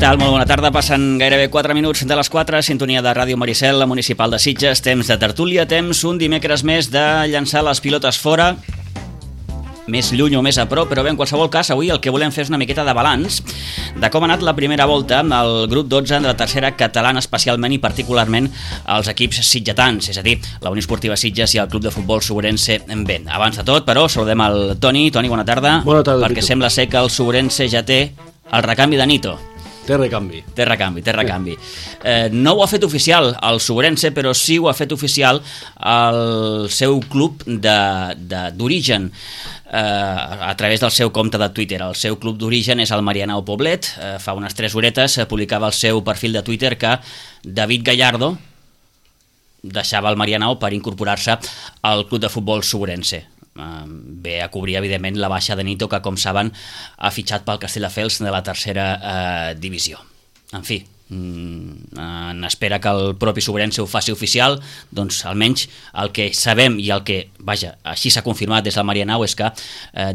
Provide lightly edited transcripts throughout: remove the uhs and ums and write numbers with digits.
tal? Molt bona tarda. Passen gairebé 4 minuts de les 4, sintonia de Ràdio Maricel, la municipal de Sitges, temps de tertúlia, temps un dimecres més de llançar les pilotes fora, més lluny o més a prop, però bé, en qualsevol cas, avui el que volem fer és una miqueta de balanç de com ha anat la primera volta al grup 12 de la tercera catalana, especialment i particularment els equips sitgetans, és a dir, la Unió Esportiva Sitges i el Club de Futbol Sobrense B. Abans de tot, però, saludem el Toni. Toni, bona tarda. Bona tarda, perquè sembla ser que el Sobrense ja té el recanvi de Nito. Té recanvi. Té recanvi. No ho ha fet oficial el Sobrense, però sí ho ha fet oficial el seu club d'origen, a través del seu compte de Twitter. El seu club d'origen és el Marianao Poblet. Fa unes 3 horetes publicava al seu perfil de Twitter que David Gallardo deixava el Marianao per incorporar-se al Club de Futbol Sobrense. Ve a cobrir, evidentment, la baixa de Nito, que, com saben, ha fitxat pel Castelldefels de la tercera divisió. En fi, en espera que el propi Sobrense ho faci oficial, doncs almenys el que sabem i el que, vaja, així s'ha confirmat des del Marianao és que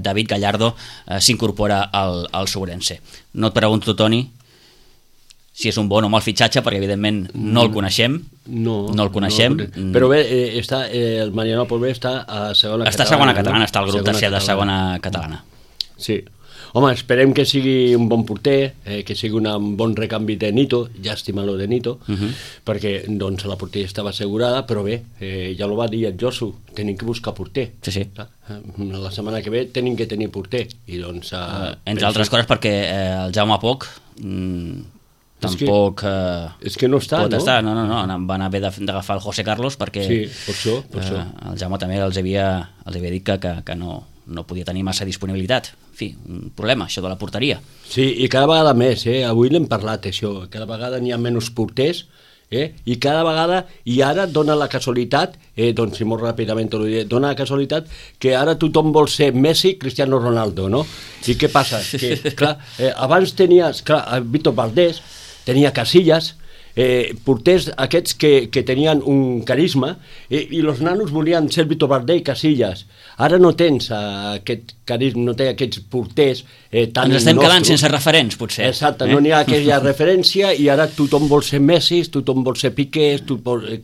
David Gallardo s'incorpora al Sobrense. No et pregunto, Toni, si és un bon o mal fitxatge, perquè evidentment no el coneixem. No el coneixem. Però bé, el Marianao Poblet està a segona catalana. Està a segona catalana, està el grup tercer de segona catalana. Sí. Home, esperem que sigui un bon porter, que sigui un bon recanvi de Nito, llàstima lo de Nito, perquè doncs, la porteria estava assegurada, però bé, ja ho va dir el Josu, tenim que buscar porter. Sí. La setmana que ve tenim que tenir porter. I doncs, entre altres coses perquè el Jaume Poch tampoc és que no està, pot estar. No, van haver d'agafar el José Carlos perquè sí, per això. El Jaume també els havia dit que no podia tenir massa disponibilitat. En fi, un problema, això de la porteria. Sí, i cada vegada més, avui l'hem parlat, això, cada vegada n'hi ha menys porters, i cada vegada, i ara dona la casualitat, doncs si molt ràpidament t'ho diré, dona la casualitat que ara tothom vol ser Messi, Cristiano Ronaldo, no? I què passa? Que, clar, abans tenies, Víctor Valdés, tenia Casillas, porters aquests que tenien un carisma, i els nanos volien ser Víctor Valdés i Casillas. Ara no tens aquest carisma, no té aquests porters tan nostres. Ens estem quedant sense referents, potser. Exacte, no n'hi ha aquella referència i ara tothom vol ser Messi, tothom vol ser Piqué,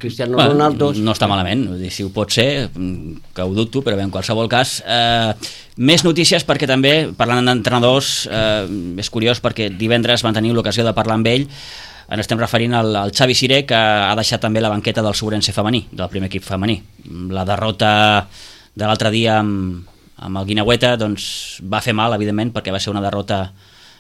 Cristiano Ronaldo. No està malament, si ho pot ser, que ho dubto, però bé, en qualsevol cas. Més notícies, perquè també, parlant d'entrenadors, és curiós perquè divendres van tenir l'ocasió de parlar amb ell. Ens estem referint al Xavi Siré, que ha deixat també la banqueta del Sobrense femení, del primer equip femení. La derrota de l'altre dia amb el Guineueta doncs, va fer mal, evidentment, perquè va ser una derrota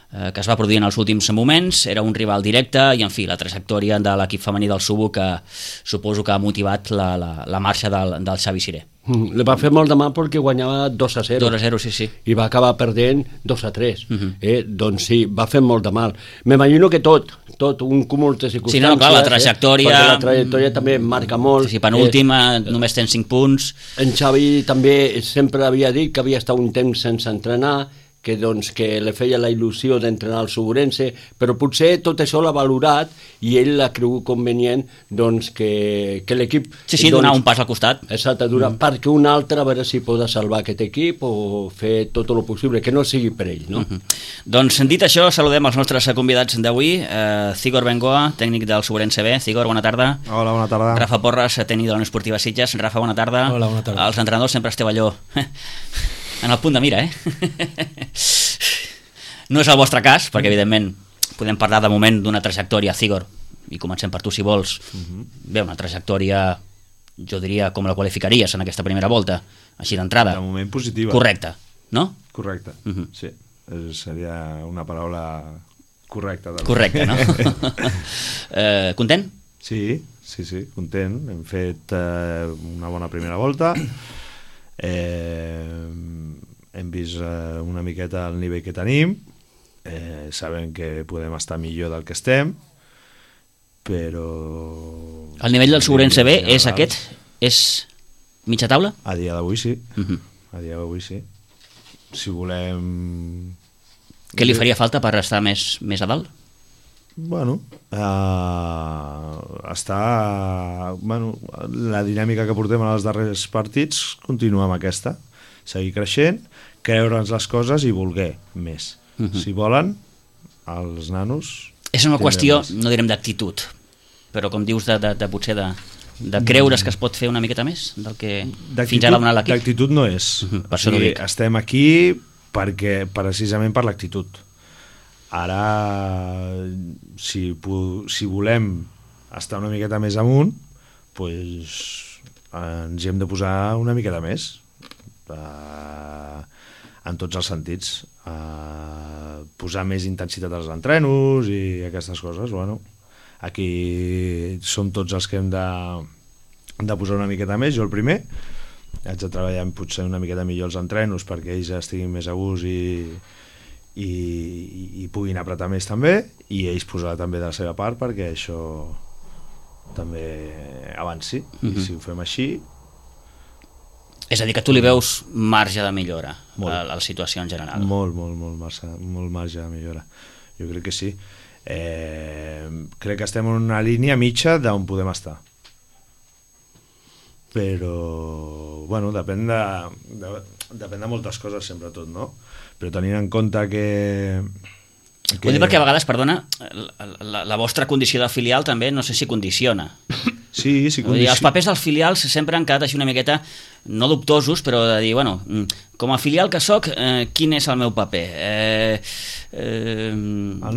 que es va produir en els últims moments, era un rival directe i, en fi, la trajectòria de l'equip femení del Subo que suposo que ha motivat la marxa del Xavi Siré. Le va fer molt de mal perquè guanyava 2-0. 2-0, sí. I va acabar perdent 2-3. Doncs sí, va fer molt de mal. M'imagino que tot, un cúmul de circumstàncies. Sí, no, clar, la trajectòria... Perquè la trajectòria també marca molt. Sí, penúltima, només tens 5 punts. En Xavi també sempre havia dit que havia estat un temps sense entrenar, que le feia la il·lusió d'entrenar al Sobrense, però potser tot això l'ha valorat i ell l'ha cregut convenient que l'equip... Sí, donar un pas al costat. Exacte, perquè un altre a veure si pot salvar aquest equip o fer tot el possible, que no sigui per ell, no? Doncs, dit això, saludem els nostres convidats d'avui. Cigor Bengoa, tècnic del Sobrense B. Cigor, bona tarda. Hola, bona tarda. Rafa Porras, tècnic de la Unió Esportiva Sitges. Rafa, bona tarda. Hola, bona tarda. Els entrenadors sempre esteu allò... en el punt de mira, No és el vostre cas, perquè evidentment podem parlar de moment d'una trajectòria, Cigor, i comencem per tu si vols. Bé, una trajectòria, jo diria, com la qualificaries en aquesta primera volta, així d'entrada. De moment positiva. Correcte, no? Correcte, sí. Seria una paraula correcta. Correcte, no? Content? Sí, content. Hem fet una bona primera volta. Hem vist una miqueta el nivell que tenim, sabem que podem estar millor del que estem, però... El nivell del Sobrense B és aquest? És mitja taula? A dia d'avui sí. A dia d'avui sí. Si volem... Què li faria falta per estar més a dalt? Bueno, la dinàmica que portem en els darrers partits continua amb aquesta, seguir creixent, creure'ns les coses i voler més. Si volen, els nanos És una qüestió, no direm d'actitud, però com dius, potser de creure's que es pot fer una miqueta més del que fins ara ha donat l'equip. D'actitud no és. Per això no dic. Estem aquí precisament per l'actitud. Ara, si volem estar una miqueta més amunt, doncs ens hi hem de posar una miqueta més, en tots els sentits. Posar més intensitat als entrenos i aquestes coses. Bueno, aquí som tots els que hem de posar una miqueta més. Jo el primer haig de treballar potser una miqueta millor els entrenos perquè ells estiguin més a gust i puguin apretar més també, i ells posar també de la seva part perquè això també avanci. I si ho fem així... És a dir, que tu li veus marge de millora a la situació en general. Molt marge de millora. Jo crec que sí. Crec que estem en una línia mitja d'on podem estar. Però, bueno, depèn de moltes coses, sempre tot, no? Però tenint en compte que... Vull dir perquè a vegades, perdona, la vostra condició de filial també no sé si condiciona. Sí, condiciona. Els papers dels filials sempre han quedat així una miqueta, no dubtosos, però de dir, bueno, com a filial que soc, quin és el meu paper?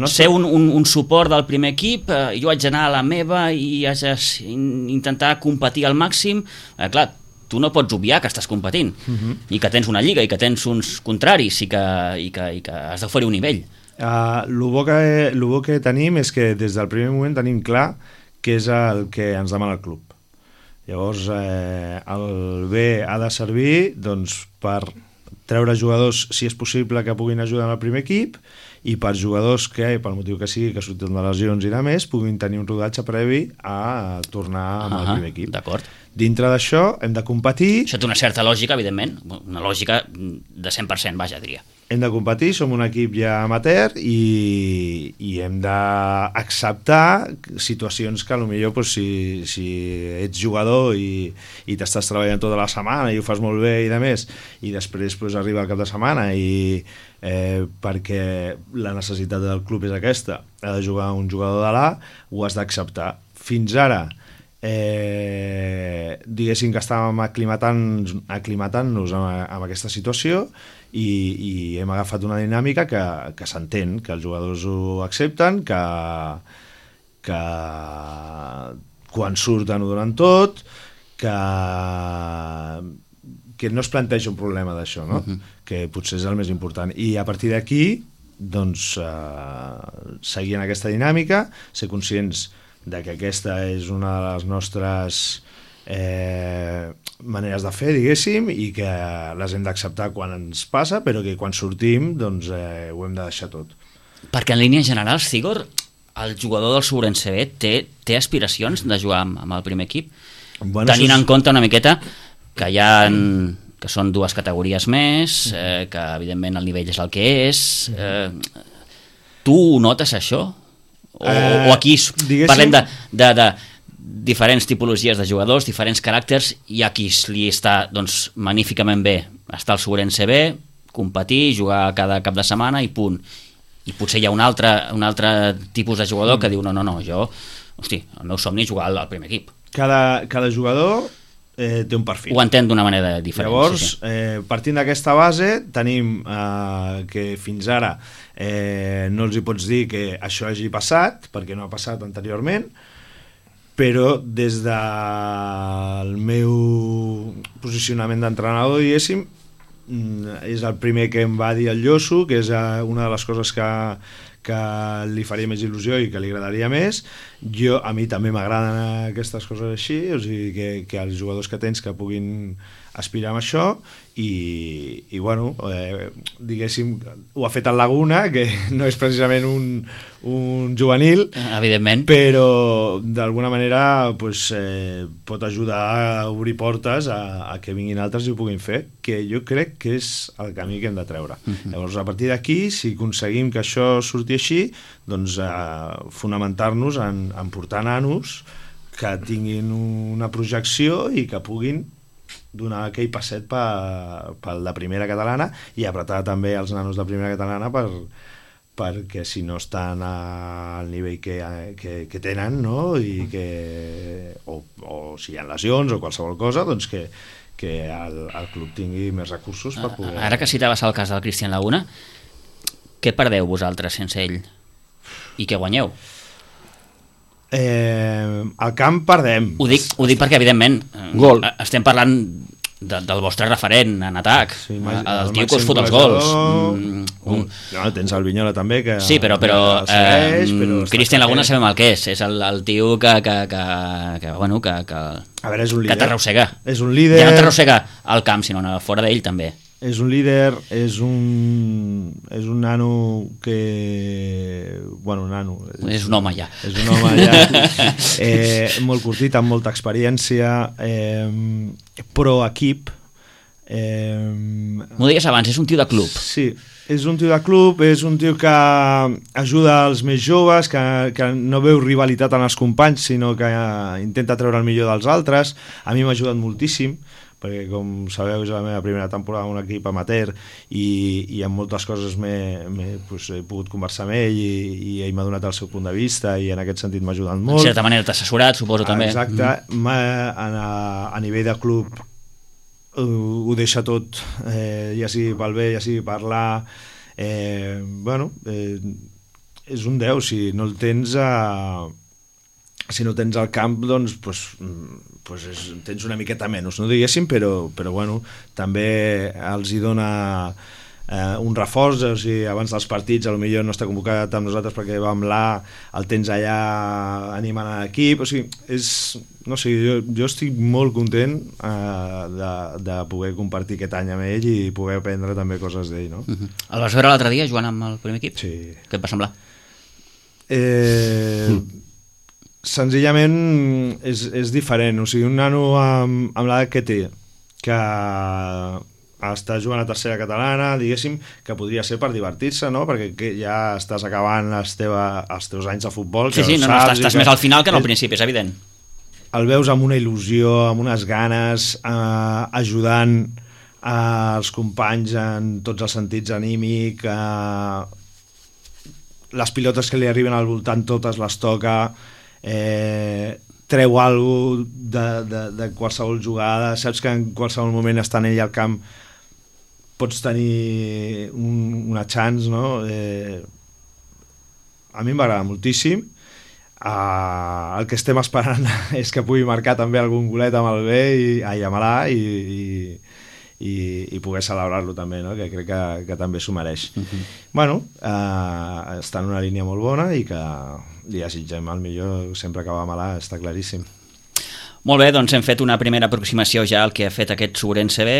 Ser un suport del primer equip, jo haig d'anar a la meva i haig d'intentar competir al màxim. Clar, tu no pots obviar que estàs competint i que tens una lliga i que tens uns contraris i que has d'oferir un nivell. El bo que tenim és que des del primer moment tenim clar què és el que ens demana el club. Llavors, el B ha de servir per treure jugadors, si és possible, que puguin ajudar en el primer equip, i per jugadors que, pel motiu que sigui, que surten de lesions i de més, puguin tenir un rodatge previ a tornar amb el primer equip. D'acord. Dintre d'això hem de competir... Això té una certa lògica, evidentment, una lògica de 100%, vaja, diria. Hem de competir, som un equip ja amateur i hem d'acceptar situacions que potser si ets jugador i t'estàs treballant tota la setmana i ho fas molt bé i de més, i després arriba el cap de setmana i perquè la necessitat del club és aquesta, ha de jugar un jugador de l'A, ho has d'acceptar. Fins ara diguéssim que estàvem aclimatant-nos amb aquesta situació i hem agafat una dinàmica que s'entén, que els jugadors ho accepten, que quan surten ho donen tot, que no es planteja un problema d'això, no? Que potser és el més important. I a partir d'aquí, doncs, seguir en aquesta dinàmica, ser conscients de que aquesta és una de les nostres maneres de fer, diguéssim, i que les hem d'acceptar quan ens passa, però que quan sortim doncs ho hem de deixar tot. Perquè en línies generals, Cigor, el jugador del Ourense B té aspiracions de jugar amb el primer equip? Bueno, tenint en compte una miqueta que que són dues categories més, que evidentment el nivell és el que és. Tu notes això? O aquí parlem de diferents tipologies de jugadors, diferents caràcters, i aquí li està doncs, magníficament bé estar al Ourense B, competir, jugar cada cap de setmana i punt. I potser hi ha un altre tipus de jugador que diu no, el meu somni és jugar al primer equip. Cada jugador té un perfil. Ho entén d'una manera diferent. Llavors, partint d'aquesta base, tenim que fins ara no els hi pots dir que això hagi passat, perquè no ha passat anteriorment, però des del meu posicionament d'entrenador, diguéssim, és el primer que em va dir el Lloso, que és una de les coses que li faria més il·lusió i que li agradaria més. A mi també m'agraden aquestes coses així, o sigui, que els jugadors que tens que puguin aspirar amb això, i bueno, diguéssim, ho ha fet el Laguna, que no és precisament un juvenil, evidentment, però d'alguna manera pot ajudar a obrir portes a que vinguin altres i ho puguin fer, que jo crec que és el camí que hem de treure. Llavors, a partir d'aquí, si aconseguim que això surti així, doncs fonamentar-nos en portar nanos que tinguin una projecció i que puguin donar aquell passet pel de primera catalana, i apretar també els nanos de primera catalana perquè si no estan al nivell que tenen, no? I o si hi ha lesions o qualsevol cosa, doncs que el club tingui més recursos per poder... Ara que citaves el cas del Cristian Laguna, què perdeu vosaltres sense ell? I què guanyeu? Al camp perdem. Ho dic perquè, evidentment, Gol. Estem parlant del vostre referent en atac, Sí, el tio que us fot els gols. No, tens el Vinyola també, que Sí, però segueix, però Cristian Laguna sabem el que és el tio que bueno, que a veure, és un líder. que t'arrossega. És un líder. Ja no t'arrossega al camp, sinó fora d'ell també. És un líder, és un nano que... Bueno, nano. És un home ja. És un home ja. Molt curtit, amb molta experiència, pro equip. M'ho deies abans, és un tio de club. Sí, és un tio de club, és un tio que ajuda els més joves, que no veu rivalitat en els companys, sinó que intenta treure el millor dels altres. A mi m'ha ajudat moltíssim, perquè com sabeu és la meva primera temporada en un equip amateur i en moltes coses he pogut conversar amb ell i ell m'ha donat el seu punt de vista i en aquest sentit m'ha ajudat molt. En certa manera t'ha assessorat, suposo, també. Exacte. A nivell de club ho deixa tot, ja sigui pel bé, ja sigui parlar. És un 10, si no el tens si no tens al camp, doncs tens una miqueta menys, no diguéssim, però bueno, també els hi dona un reforç, o sigui, abans dels partits potser no està convocat amb nosaltres perquè va amb el tens allà animant a l'equip, o sigui, no sé, jo estic molt content de poder compartir aquest any amb ell i poder aprendre també coses d'ell, no? El vas veure l'altre dia jugant amb el primer equip? Sí. Què et va semblar? Senzillament és diferent, o sigui, un nano amb l'edat que té, que està jugant a tercera catalana, diguéssim, que podria ser per divertir-se, no? Perquè ja estàs acabant els teus anys de futbol. Sí, estàs més al final que no al principi, és evident. El veus amb una il·lusió, amb unes ganes, ajudant els companys en tots els sentits anímic, les pilotes que li arriben al voltant totes les toca, treu alguna cosa de qualsevol jugada, saps que en qualsevol moment estant ell al camp pots tenir una chance, no? A mi m'agrada moltíssim. El que estem esperant és que pugui marcar també algun golet amb el B amb l'A i poder celebrar-lo també, no? Que crec que també s'ho mereix. Bueno, està en una línia molt bona i que li desitgem el millor sempre que va amb l'A, està claríssim. Molt bé, doncs hem fet una primera aproximació ja al que ha fet aquest Ourense B.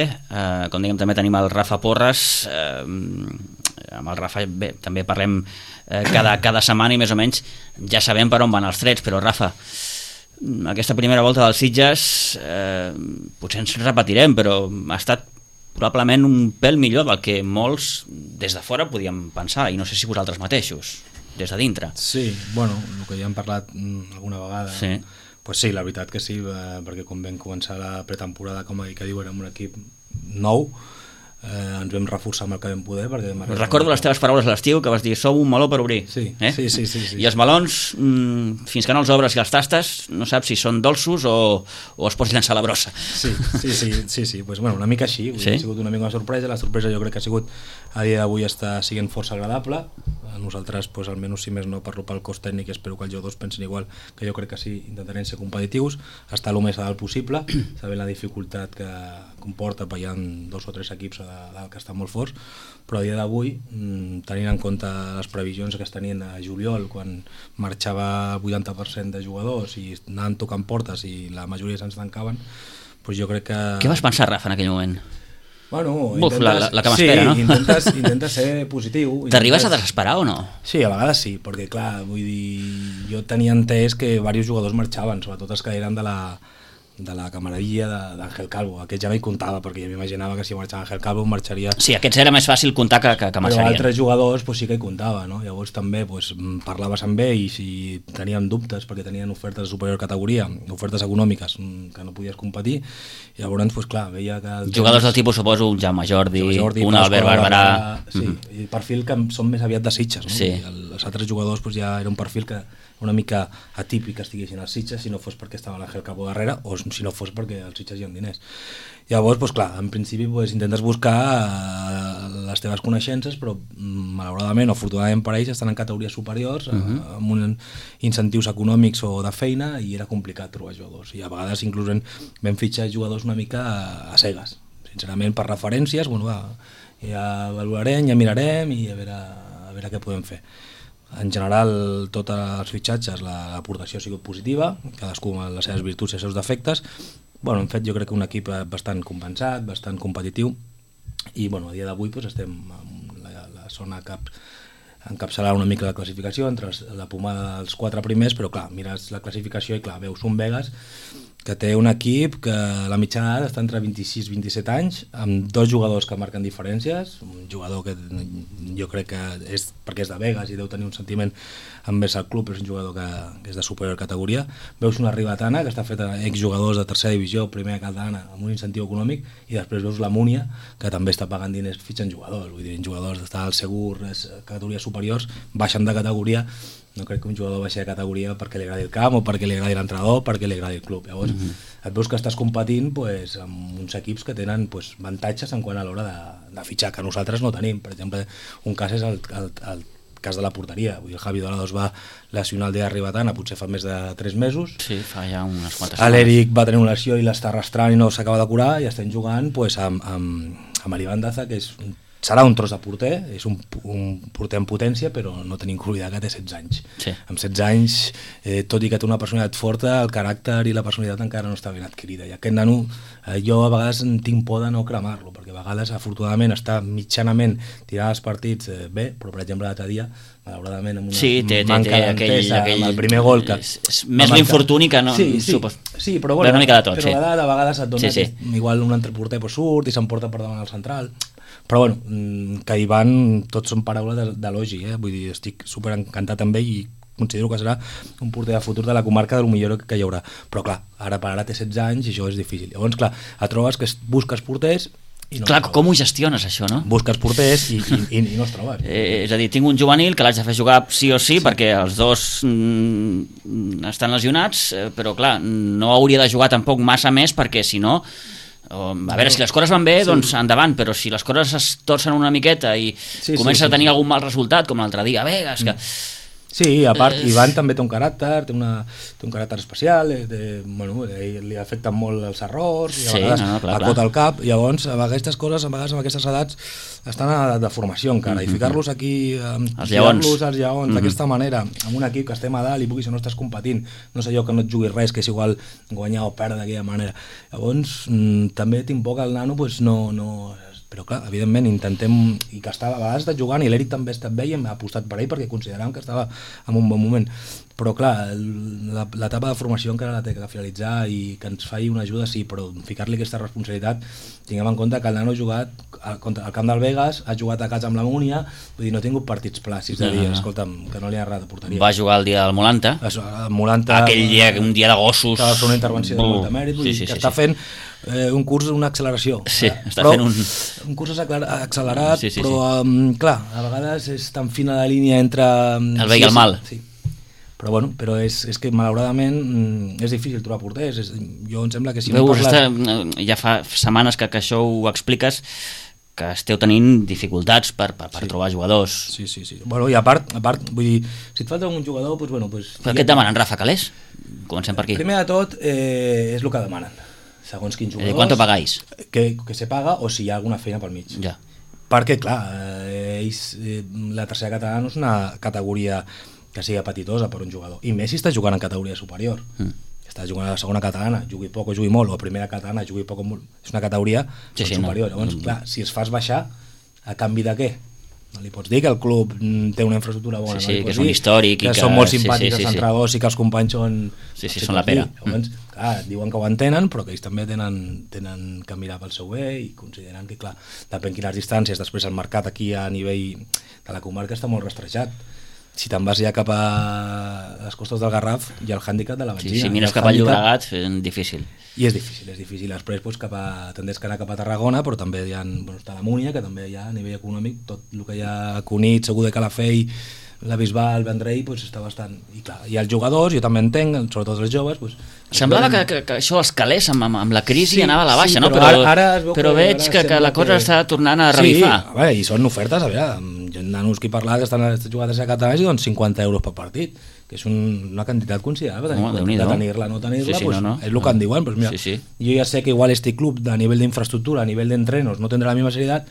Com dèiem, també tenim el Rafa Porres. Amb el Rafa també parlem cada setmana i més o menys ja sabem per on van els trets, però Rafa, aquesta primera volta dels Sitges potser ens repetirem, però ha estat probablement un pèl millor del que molts des de fora podíem pensar, i no sé si vosaltres mateixos, des de dintre. Sí, bueno, el que ja hem parlat alguna vegada, sí. Pues sí, la veritat que sí, perquè quan vam començar la pretemporada, com que diu, érem un equip nou, ens vam reforçar amb el que vam poder. Recordo les teves paraules a l'estiu, que vas dir, sou un meló per obrir. Sí. I els melons, fins que no els obres i els tastes, no saps si són dolços o es pots llançar a la brossa. Sí, pues, bueno, una mica així, sí? Ha sigut una mica una sorpresa. La sorpresa jo crec que ha sigut, a dia d'avui està sent força agradable. A nosaltres, pues, almenys si més no parlo pel cos tècnic, espero que els jugadors pensin igual, que jo crec que sí, intentarem ser competitius, estar el més a dalt possible, sabent la dificultat que comporta, perquè hi ha 2 o 3 equips a dalt que estan molt forts, però a dia d'avui, tenint en compte les previsions que es tenien a juliol, quan marxava el 80% de jugadors i anaven tocant portes i la majoria se'ns tancaven, pues jo crec que... Què vas pensar, Rafa, en aquell moment? Bueno, la que m'espera, no? Intentes ser positiu. T'arribes a desesperar o no? Sí, a vegades sí, perquè clar, vull dir, jo tenia entès que diversos jugadors marxaven, sobretot els que eren de la camaradilla d'Àngel Calvo. Aquest ja no hi comptava, perquè ja m'imaginava que si marxava Àngel Calvo marxaria... Sí, aquests era més fàcil comptar que marxarien. Però altres jugadors sí que hi comptava, no? Llavors també parlaves amb ell i si tenien dubtes perquè tenien ofertes de superior categoria, ofertes econòmiques que no podies competir, i llavors, clar, veia que... Jugadors del tipus, suposo, un Jaume Jordi, un Albert Barberà... Sí, i perfil que són més aviat de Sitges, no? Sí. Els altres jugadors ja era un perfil que una mica atípic que estiguessin als Sitges, si no fos perquè estava l'Àngel Calvo darrere o si no fos perquè als Sitges hi ha diners. Llavors, clar, en principi intentes buscar les teves coneixences, però malauradament o afortunadament per ells estan en categories superiors, amb uns incentius econòmics o de feina, i era complicat trobar jugadors. I a vegades inclús vam fitxar jugadors una mica a cegues. Sincerament, per referències, ja valorarem, ja mirarem i a veure què podem fer. En general, tots els fitxatges, l'aportació ha sigut positiva, cadascú amb les seves virtuts i els seus defectes. Hem fet, jo crec, un equip bastant compensat, bastant competitiu, i a dia d'avui estem en la zona que encapçalar una mica la classificació entre la pomada dels 4 primers, però clar, mires la classificació i clar, veus un Vegas que té un equip que la mitjana d'edat està entre 26 i 27 anys, amb 2 jugadors que marquen diferències, un jugador que jo crec que és perquè és de Vegas i deu tenir un sentiment envers el club, però és un jugador que és de superior categoria. Veus una Ribatana que està feta exjugadors de tercera divisió, primera catalana, amb un incentiu econòmic, i després veus la Múnia, que també està pagant diners fitxant jugadors, vull dir, jugadors d'estar al segur, categories superiors, baixen de categoria. No crec que un jugador baixi de categoria perquè li agradi el camp o perquè li agradi l'entrenador, perquè li agradi el club. Llavors et veus que estàs competint amb uns equips que tenen avantatges en quant a l'hora de fitxar, que nosaltres no tenim. Per exemple, un cas és el cas de la porteria. Vull dir, el Javi Dorado es va lesionar el dia Ribatana, potser fa més de 3 mesos. Sí, fa ja unes quantes setmanes. L'Eric va tenir una lesió i l'està arrastrant i no s'acaba de curar, i estem jugant amb Alivan Daza, que serà un tros de porter, és un porter en potència, però no tenim que oblidar que té 16 anys. Sí. Amb 16 anys, tot i que té una personalitat forta, el caràcter i la personalitat encara no està ben adquirida. I aquest nano, jo a vegades tinc por de no cremar-lo, perquè a vegades, afortunadament, està mitjanament tirant els partits bé, però per exemple l'altre dia, malauradament, amb una manca d'entesa, amb el primer gol que... És més l'infortuni que no... Sí, però una mica de tot, però a vegades et dona que igual un altre porter surt i s'emporta per davant el central. Però que hi van, tots són paraules d'elogi, vull dir, estic super encantat amb ell i considero que serà un porter de futur de la comarca del millor que hi haurà. Però clar, ara per ara té 16 anys i això és difícil. Llavors, clar, et trobes que busques porters i no clar, com ho gestiones això, no? Busques porters i no els trobes. És a dir, tinc un juvenil que l'haig de fer jugar sí o sí, perquè els dos estan lesionats, però clar, no hauria de jugar tampoc massa més, perquè si no... A veure, si les coses van bé, doncs endavant, però si les coses es torcen una miqueta i comença a tenir algun mal resultat, com l'altre dia, Vegas, que... Sí, a part, Ivan també té un caràcter, té un caràcter especial, li afecten molt els errors, i a vegades acota el cap, i llavors aquestes coses, a vegades amb aquestes edats, estan a de formació encara, i ficar-los aquí, els lleons d'aquesta manera, amb un equip que estem a dalt i si no estàs competint, no sé jo que no et juguis res, que és igual guanyar o perdre d'aquella manera. Llavors, també tinc por que el nano no... Però clar, evidentment intentem, i que estava a vegades estat jugant, i l'Eric també ha estat bé i hem apostat per ell perquè consideràvem que estava en un bon moment, però clar, l'etapa de formació encara la té que finalitzar i que ens faci una ajuda, sí, però ficar-li aquesta responsabilitat, tinguem en compte que el nano ha jugat al camp del Vegas, ha jugat a casa amb la Múnia, vull dir, no ha tingut partits plàcids de dir, escolta'm, que no li ha agradat de porteria. Va jugar el dia del Molanta, aquell dia, un dia de gossos, estava fent una intervenció de molt de mèrit, vull dir, que està fent un curs, una acceleració. Sí, està fent un curs accelerat, però clar, a vegades és tan fina la línia entre... El bé i el mal. Sí. Però bueno, però és que malauradament és difícil trobar porters. Jo em sembla que si no parles... Ja fa setmanes que això ho expliques, que esteu tenint dificultats per trobar jugadors. Sí. Bueno, i a part, vull dir, si et falta un jugador, doncs bueno... Però què et demanen, Rafa Calés? Comencem per aquí. Primer de tot, és el que demanen. Segons quins jugadors... ¿Cuánto pagáis? Que se paga o si hi ha alguna feina pel mig. Ja. Perquè, clar, la tercera catalana no és una categoria que sigui apetitosa per un jugador. I més si està jugant en categoria superior. Està jugant a la segona catalana, jugui poc o jugui molt, o a primera catalana, jugui poc o molt. És una categoria superior. Llavors, clar, si es fas baixar, a canvi de què? Li pots dir que el club té una infraestructura bona, sí, no? que és un històric, que són molt simpàtics els entrenadors i que els companys són... Sí, són la pera. Llavors, clar, diuen que ho entenen, però que ells també tenen que mirar pel seu bé i consideren que, clar, depèn quines distàncies, després el mercat aquí a nivell de la comarca està molt rastrejat. Si te'n vas ja cap a les costes del Garraf, hi ha el hàndicap de la benzina. Sí, si mires cap al Llobregat, és difícil. I és difícil. Després pues, tendeix que anar cap a Tarragona, però també hi ha, està la Múnia, que també hi ha a nivell econòmic, tot el que hi ha a Cunit, Segur de Calafell, la Bisbal, Vendrell, pues, està bastant... I clar, i els jugadors, jo també entenc, sobretot els joves... Pues, semblava que això els calés amb la crisi sí, anava a la baixa, sí, no? Però veig que la cosa està tornant a revifar. Sí, a veure, i són ofertes, a veure, hi ha nanos que he parlat que estan jugant a ser catalans i donen 50 euros per partit, que és una quantitat considerable, de tenir-la, no tenir-la, pues, és el que en diuen. Pues, mira, jo ja sé que igual este club a nivell d'infraestructura, a nivell d'entrenos, no tendrá la misma seriedad,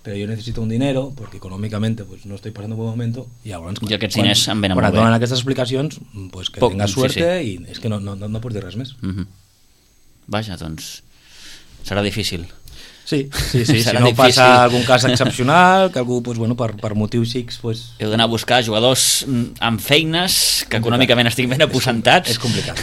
pero yo necesito un dinero porque económicamente pues no estoy pasando un buen momento y llavors i aquests diners em venen molt bé. Quan et donen aquestes explicacions, pues que tengas suerte i és que no pots dir res més. Vaja, doncs serà difícil. Sí, si no passa algun cas excepcional, que algú, pues, bueno, per motius X... Pues... Heu d'anar a buscar jugadors amb feines que econòmicament estiguin ben aposentats. És complicat.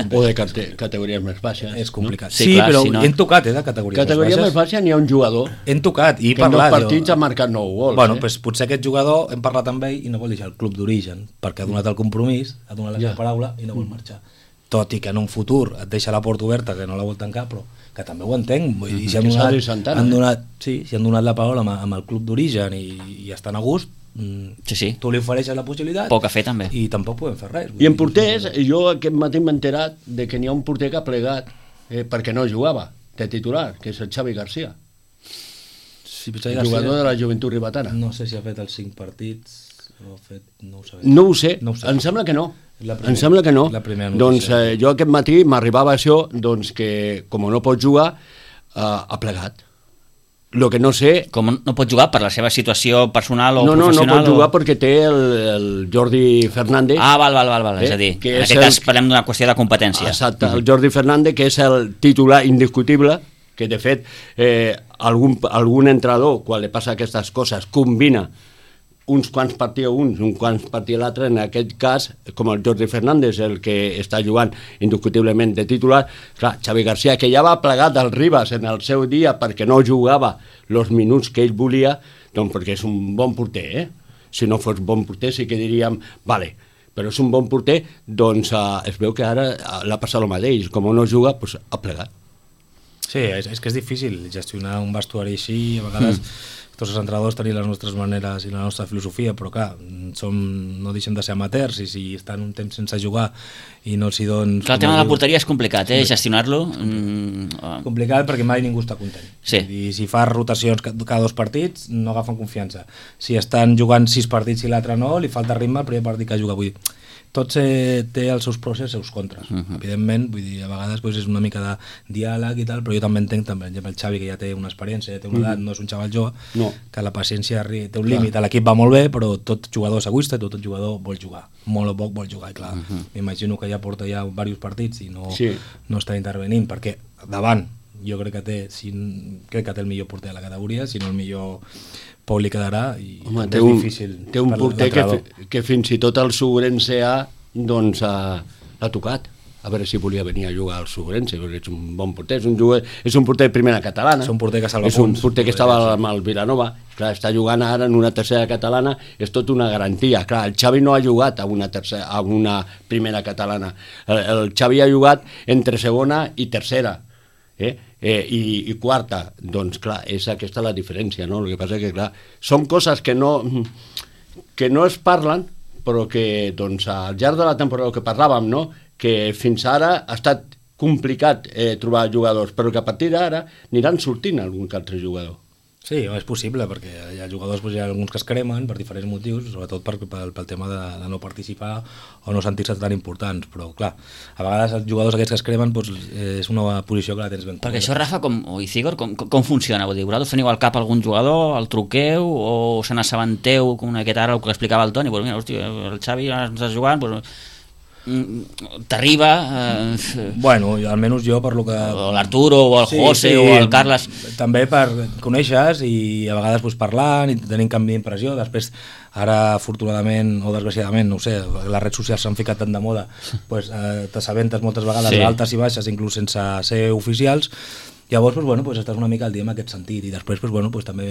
O de categories més baixes. És complicat. No? Sí, clar, però si no... hem tocat de categories més baixes n'hi ha un jugador hem tocat i que en 2 partits ha marcat 9 gols. Bueno, pues, potser aquest jugador hem parlat amb ell i no vol deixar el club d'origen perquè ha donat el compromís, ha donat la seva paraula i no vol marxar. Tot i que en un futur et deixa la porta oberta que no la vol tancar, però que també ho entenc, vull dir, si han donat la paraula amb el club d'origen i estan a gust, tu li ofereixes la possibilitat poc a fer també i tampoc podem fer res. I en porters, jo aquest matí m'he enterat de que n'hi ha un porter que ha plegat perquè no jugava de titular, que és el Xavi García, jugador de la Joventut Ribetana. No sé si ha fet els 5 partits o ha fet... no ho sé, em sembla que no. Em sembla que no. Doncs jo aquest matí m'arribava això, doncs que com no pot jugar ha plegat. Lo que no sé... Com no pot jugar per la seva situació personal o professional? No pot jugar perquè té el Jordi Fernández. Val. És a dir, en aquest cas parlem d'una qüestió de competència. Exacte, el Jordi Fernández, que és el titular indiscutible, que de fet algun entrenador, quan li passa aquestes coses, combina uns quants partits l'altre, en aquest cas, com el Jordi Fernández, el que està jugant indiscutiblement de titular. Clar, Xavi García, que ja va plegat al Ribas en el seu dia perquè no jugava els minuts que ell volia, doncs perquè és un bon porter, Si no fos bon porter sí que diríem, vale, però és un bon porter, doncs es veu que ara l'ha passat el mateix, com no juga, doncs ha plegat. Sí, és que és difícil gestionar un vestuari així, a vegades tots els entrenadors tenim les nostres maneres i la nostra filosofia, però clar, no deixem de ser amateurs i si estan un temps sense jugar i no s'hi donen... Clar, el tema de la porteria és complicat, gestionar-lo. Complicat perquè mai ningú està content. Sí. I si fas rotacions cada 2 partits no agafen confiança. Si estan jugant 6 partits i l'altre no, li falta ritme el primer partit que juga. Vull dir, tot té els seus pros i els seus contres. Evidentment, vull dir, a vegades és una mica de diàleg i tal, però jo també entenc, per exemple, el Xavi, que ja té una experiència, ja té una edat, no és un xaval jove, que la paciència té un límit. L'equip va molt bé, però tot jugador és egoista, tot jugador vol jugar. Molt o poc vol jugar, i clar, m'imagino que ja porta ja diversos partits i no està intervenint, perquè davant jo crec que té el millor porter de la categoria, si no el millor Pau li quedarà i és difícil. Té un porter que fins i tot el Suburense A doncs l'ha tocat, a veure si volia venir a jugar al Suburense, perquè és un bon porter, és un porter de primera catalana, és un porter que salva punts, és un porter que estava amb el Vilanova, clar, està jugant ara en una tercera catalana, és tot una garantia. Clar, el Xavi no ha jugat a una primera catalana, el Xavi ha jugat entre segona i tercera, i quarta, doncs clar, és aquesta la diferència, no? El que passa que clar, són coses que no es parlen, però que doncs al llarg de la temporada que parlàvem, no? Que fins ara ha estat complicat trobar jugadors, però que a partir d'ara aniran sortint algun que altre jugador. Sí, és possible, perquè hi ha jugadors, hi ha alguns que es cremen per diferents motius, sobretot pel tema de no participar o no sentir-se tan importants, però clar, a vegades els jugadors aquests que es cremen és una posició que la tens ben clara. Perquè això, Rafa, o Icígor, com funciona? Vull dir, vosaltres teniu al cap algun jugador, el truqueu o se n'assabenteu, com aquest ara el que explicava el Toni, pues mira, hòstia, el Xavi està jugant, pues... t'arriba... Bueno, almenys jo per lo que... O l'Arturo, o el José, o el Carles... També per conèixer i a vegades pues, parlant i tenint canvi d'impressió. Després, ara, afortunadament o desgraciadament, no ho sé, les redes socials s'han ficat tant de moda, pues, t'assabentes moltes vegades d'altes i baixes, inclús sense ser oficials. Llavors, pues, bueno, pues, estàs una mica al dia en aquest sentit i després pues, bueno, pues, també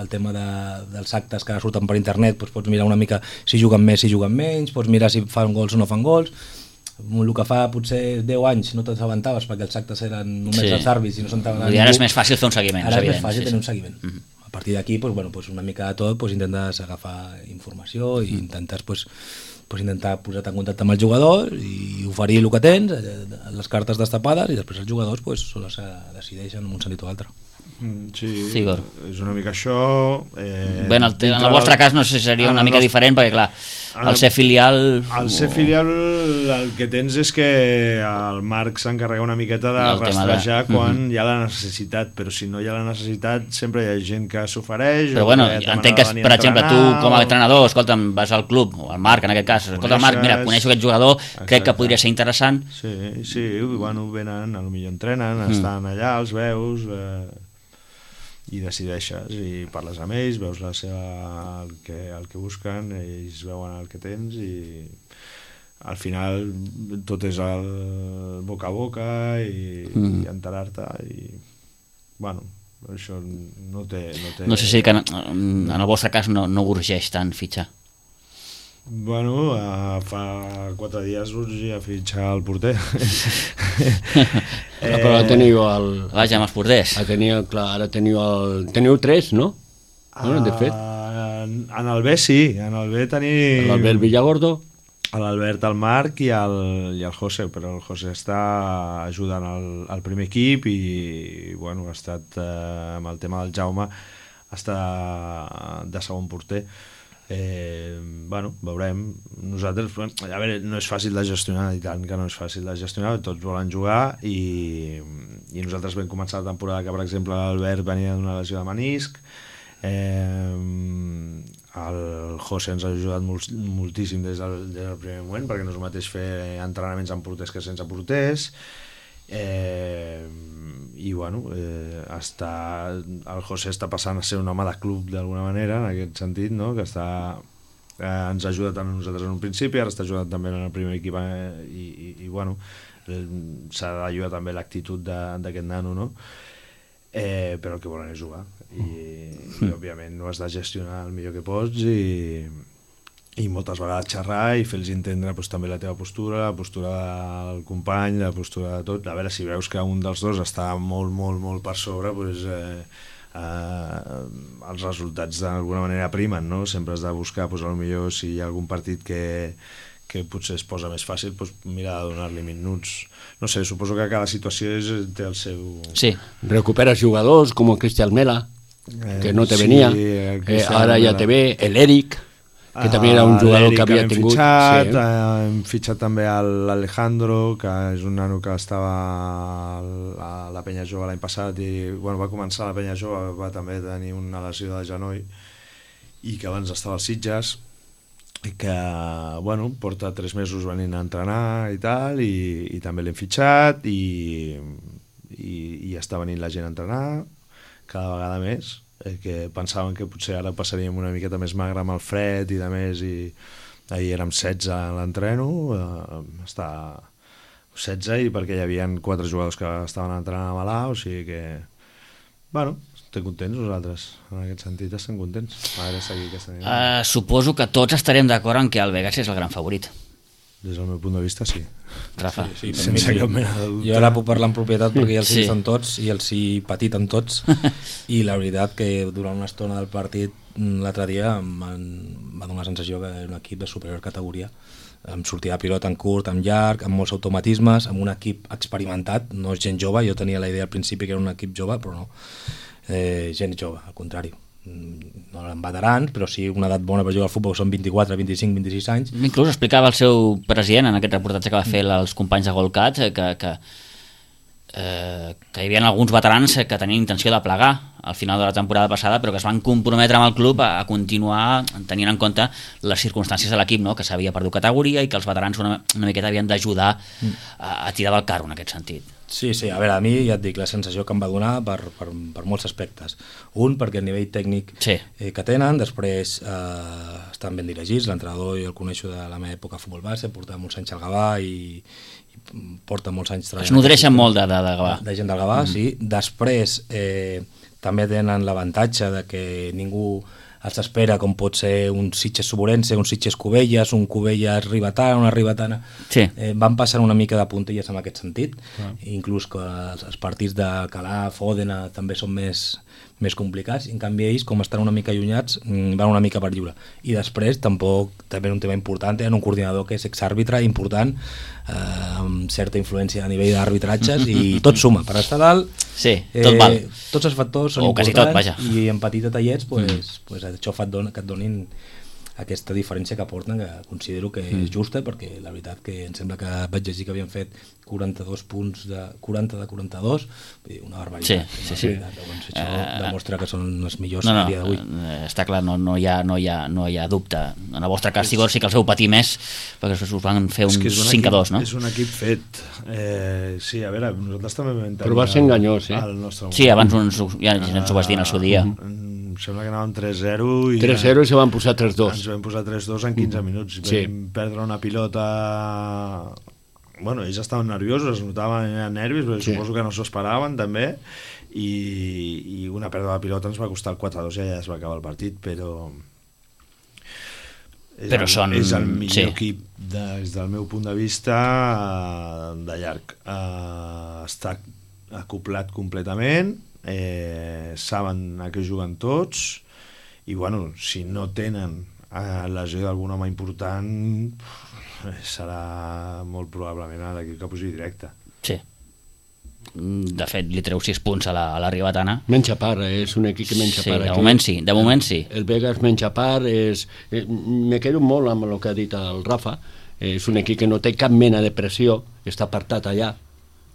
el tema dels actes que surten per internet pues, pots mirar una mica si juguen més, si juguen menys, pots mirar si fan gols o no fan gols. El que fa potser 10 anys no t'assabentaves perquè els actes eren només els àrbits i no s'entava ningú. Ara és més fàcil fer un seguiment. Ara és més fàcil tenir un seguiment. A partir d'aquí, pues, bueno, pues, una mica de tot, pues, intentes agafar informació i intentes pues, intentar posar-te en contacte amb el jugador i oferir el que tens, les cartes destapades, i després els jugadors pues, són els que decideixen en un sentit o altre. Sí, Igor. És una mica això. Bé, en el vostre cas no sé si seria una mica diferent, perquè clar, al ser filial... Al ser filial el que tens és que el Marc s'encarrega una miqueta de rastrejar quan hi ha la necessitat, però si no hi ha la necessitat sempre hi ha gent que s'ofereix. Però bueno, entenc que, per exemple, tu com a entrenador, escolta'm, vas al club, o al Marc en aquest cas, escolta Marc, mira, coneixo aquest jugador, crec que podria ser interessant. Sí, bueno, venen, potser entrenen, estan allà, els veus... i decideixes i parles amb ells, veus el que busquen, ells veuen el que tens i al final tot és el boca a boca i enterar-te i bueno, això no té... No sé si que en el vostre cas no urgeix tant fitxar. Bueno, fa 4 dies urgia fitxar el porter. Però ara teniu el... Vaja, amb els porters. Ara teniu 3, no? De fet. En el B sí, en el B tenim... L'Albert Villagordo. L'Albert, el Marc i el José, però el José està ajudant al primer equip i bueno, ha estat amb el tema del Jaume, està de segon porter. Bueno, veurem. Nosaltres, a veure, no és fàcil de gestionar, i tant que no és fàcil de gestionar, tots volen jugar i nosaltres vam començar la temporada que, per exemple, l'Albert venia d'una lesió de menisc, el José ens ha ajudat moltíssim des del primer moment, perquè no és el mateix fer entrenaments amb porters que sense porters, i bueno, el José està passant a ser un home de club d'alguna manera, en aquest sentit, no? Que ens ha ajudat a nosaltres en un principi, ara està ajudant també en el primer equip i bueno, s'ha d'ajudar també l'actitud d'aquest nano, no? Però el que volen és jugar i òbviament no has de gestionar el millor que pots i moltes vegades xerrar i fer-los entendre pues, també la teva postura, la postura del company, la postura de tot. A veure, si veus que un dels dos està molt, molt, molt per sobre, pues, els resultats d'alguna manera primen, no? Sempre has de buscar, pues, potser si hi ha algun partit que potser es posa més fàcil, pues, mira de donar-li minuts. No sé, suposo que cada situació té el seu... Sí. Recuperes jugadors com el Cristian Mela, que no te venia, ara ja te ve, l'Eric, que també era un jugador que havia tingut... Hem fitxat també l'Alejandro, que és un nano que estava a la Penya Jove l'any passat i bueno, va començar a la Penya Jove, va també tenir una lesió de genoll i que abans estava als Sitges i que bueno, porta 3 mesos venint a entrenar i tal i també l'hem fitxat i està venint la gent a entrenar cada vegada més, que pensaven que potser ara passaríem una miqueta més magre amb el fred i de més, i ahir érem 16 a l'entreno, està 16 i perquè hi havia 4 jugadors que estaven entrenant a Malà, o sigui que bueno, estem contents nosaltres, en aquest sentit estem contents. A veure, seguir aquesta nit. Suposo que tots estarem d'acord en que el Vegas és el gran favorit. Des del meu punt de vista, sí. Rafa. Sí, sense cap mena de dubte. Jo ara puc parlar en propietat perquè ja els he vist en tots i els he patit en tots i la veritat que durant una estona del partit l'altre dia em va donar la sensació que era un equip de superior categoria, amb sortida de pilota en curt, amb llarg, amb molts automatismes, amb un equip experimentat, no és gent jove, jo tenia la idea al principi que era un equip jove, però no, gent jove, al contrari. No eren veterans, però sí una edat bona per jugar al futbol, són 24, 25, 26 anys. Inclús explicava el seu president en aquest reportatge que va fer als companys de Golcat que que hi havia alguns veterans que tenien intenció de plegar al final de la temporada passada, però que es van comprometre amb el club a continuar tenint en compte les circumstàncies de l'equip, no? Que s'havia perdut categoria i que els veterans una miqueta havien d'ajudar a tirar del carro en aquest sentit. Sí, a veure, a mi ja et dic, la sensació que em va donar per molts aspectes. Un, perquè el nivell tècnic que tenen, després estan ben dirigits, l'entrenador jo el coneixo de la meva època a futbol base, porta molts anys al Gavà i porta molts anys treballant. Es nodreixen molt de Gavà. De gent del Gavà, sí. Després també tenen l'avantatge de que ningú els espera, com pot ser un Sitges Suburense, un Sitges Cubelles, un Cubelles Ribetana, una Ribetana. Sí. Van passant una mica de puntilles en aquest sentit, inclús que els partits de Calaf, Òdena també són més complicats, en canvi ells, com estan una mica allunyats, van una mica per lliure. I després, tampoc, també un tema important, tenen un coordinador que és exàrbitre important, amb certa influència a nivell d'arbitratges, i tot suma, per estar dalt, tot val. Tots els factors són importants, i en petits detallets això fa que et donin aquesta diferència que aporten, que considero que és justa, perquè la veritat que em sembla que vaig llegir que havien fet 42 punts de 40 de 42, una barbaritat. Sí. Doncs això demostra que són els millors a dia d'avui. Està clar, no hi ha dubte. En el vostre cas, sí que els heu patit més, perquè us van fer un 5-2, no? És un equip fet. Sí, a veure, nosaltres també vam tenir... Però va ser enganyós, Sí, abans ja ens ho vas dir en el seu dia. Em sembla que anàvem 3-0 i 3-0 i se van posar 3-2. Ens vam posar 3-2 en 15 minuts. Vam perdre una pilota... Bueno, ells estaven nerviosos, es notaven nervis, però suposo que no s'ho esperaven també, i una pèrdua de pilota ens va costar el 4-2 i ja es va acabar el partit, però és el millor equip des del meu punt de vista de llarg. Està acoplat completament, saben a què juguen tots, i bueno, si no tenen lesió d'algun home important, serà molt probablement l'equip que pugi directe. Sí. De fet, li treu 6 punts a la Ribetana. Menja part, és un equip que menja part. De moment sí. El Vegas menja part, me quedo molt amb el que ha dit el Rafa, és un equip que no té cap mena de pressió, està apartat allà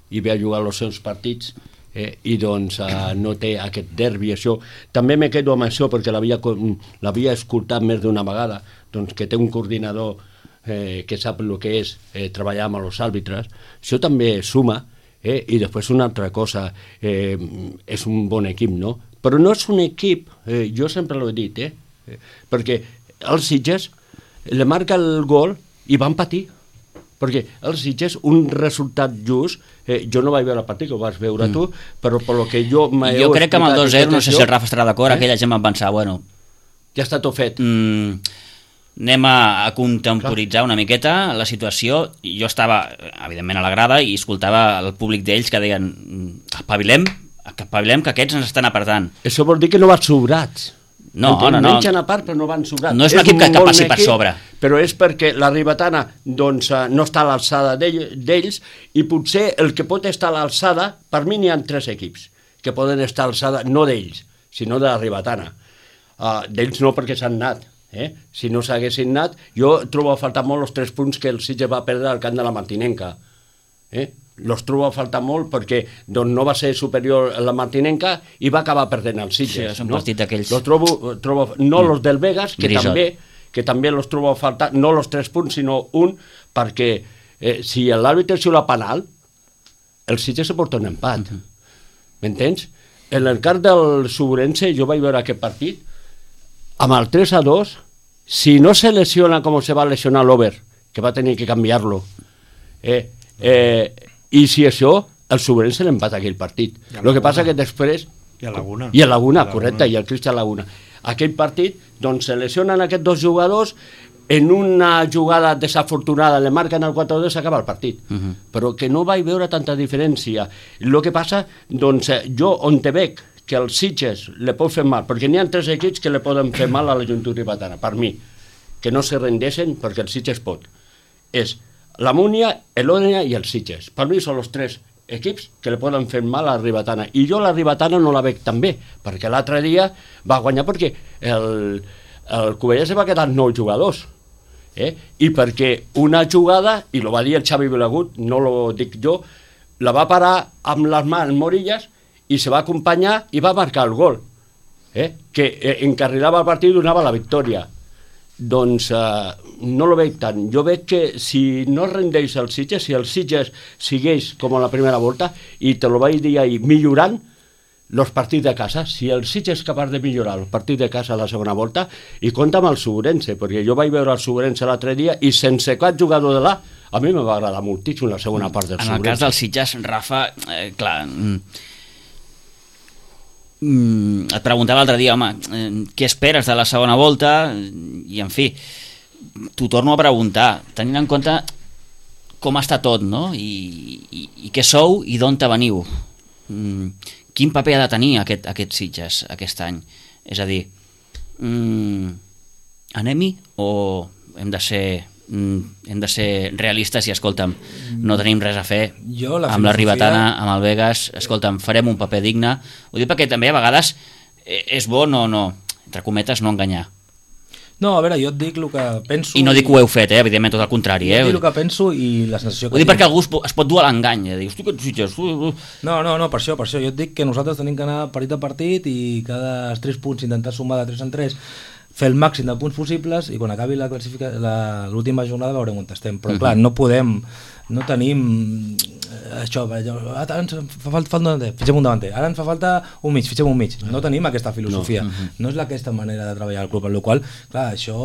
i ve a jugar els seus partits, i doncs no té aquest derbi, això. També me quedo amb això perquè l'havia escoltat més d'una vegada, doncs que té un coordinador que sap el que és treballar amb els àrbitres, això també suma, i després una altra cosa, és un bon equip, no? Però no és un equip, jo sempre l'he dit, perquè els Sitges le marca el gol i van patir, perquè els Sitges, un resultat just, jo no vaig veure el partit, que ho vas veure tu, però per lo que jo crec que amb el 2-0, no sé si el Rafa estarà d'acord, aquella gent va pensar, bueno, ja està tot fet. Anem a contemporitzar una miqueta la situació. Jo estava, evidentment, a la grada i escoltava el públic d'ells que deien espavilem, que aquests ens estan apartant. Això vol dir que no van sobrats. No. Mengen a part, però no van sobrats. No és un equip que passi per sobre. Però és perquè la Ribetana doncs, no està a l'alçada d'ells, i potser el que pot estar a l'alçada, per mi n'hi ha 3 equips que poden estar a l'alçada, no d'ells, sinó de la Ribetana. D'ells no, perquè s'han anat. Si no s'haguessin anat, jo trobo a faltar molt els 3 punts que el Sitges va perdre al camp de la Martinenca. Los trobo a faltar molt perquè doncs, no va ser superior a la Martinenca i va acabar perdent el Sitges. Sí, és un partit d'aquells. Los trobo, no los del Vegas, que també los trobo a faltar, no los 3 punts, sinó un, perquè si l'àrbitre xiula penal, el Sitges se porta un empat. M'entens? En el cas del Suburense, jo vaig veure aquest partit, amb el 3-2, si no se lesiona com se va lesionar l'Over, que va tenir que canviar-lo, i si això, el Suburense l'empata aquell partit. El que passa que després... I a Laguna. I a Laguna, correcte, i el Cristian Laguna. Aquell partit, doncs se lesionen aquests 2 jugadors, en una jugada desafortunada le marquen el 4-2 i s'acaba el partit. Però que no vaig veure tanta diferència. El que passa, doncs jo on te veig que els Sitges le pot fer mal, perquè n'hi ha 3 equips que le poden fer mal a la Joventut Ribetana, per mi, que no se rendeixen perquè el Sitges pot. És la Múnia, l'Òdena i el Sitges. Per mi són els 3 equips que le poden fer mal a la Ribetana. I jo la Ribetana no la veig tan bé, perquè l'altre dia va guanyar perquè el Cubelles va quedar 9 jugadors. I perquè una jugada, i lo va dir el Xavi Vilagut, no lo dic jo, la va parar amb les mans Morillas i se va acompanyar i va marcar el gol, que encarrilava el partit i donava la victòria. Doncs no lo veig tant. Jo veig que si no rendeix el Sitges, si el Sitges segueix com a la primera volta, i te lo vaig dir ahir, millorant els partits de casa, si el Sitges és capaç de millorar el partit de casa a la segona volta, i compta amb el Suburense, perquè jo vaig veure el Suburense l'altre dia i sense cap jugador de l'A, a mi me va agradar moltíssim la segona part del Suburense. En el cas del Sitges, Rafa, clar, et preguntava l'altre dia, home, què esperes de la segona volta? I en fi, t'ho torno a preguntar, tenint en compte com està tot, no? I què sou i d'on te veniu? Quin paper ha de tenir aquest Sitges aquest any? És a dir, anem-hi o hem de ser realistes i, escolta'm, no tenim res a fer amb la Ribetana, amb el Vegas, escolta'm, farem un paper digne. Ho dic perquè també a vegades és bo no, entre cometes, no enganyar. No, a veure, jo et dic el que penso... I no dic que ho heu fet, evidentment, tot el contrari. Jo et dic el que penso i la sensació que ho dic perquè algú es pot dur a l'engany. Dius, tu que ets Sitges... No, per això. Jo et dic que nosaltres tenim que anar partit a partit i cada 3 punts intentar sumar de 3 en 3, fer el màxim de punts possibles i quan acabi l'última jornada veurem on estem. Però clar, no podem, no tenim això, ara ens fa falta un davanter, fitxem un davanter, ara ens fa falta un mig, fitxem un mig. No tenim aquesta filosofia, no és aquesta manera de treballar al club, amb la qual cosa, clar, això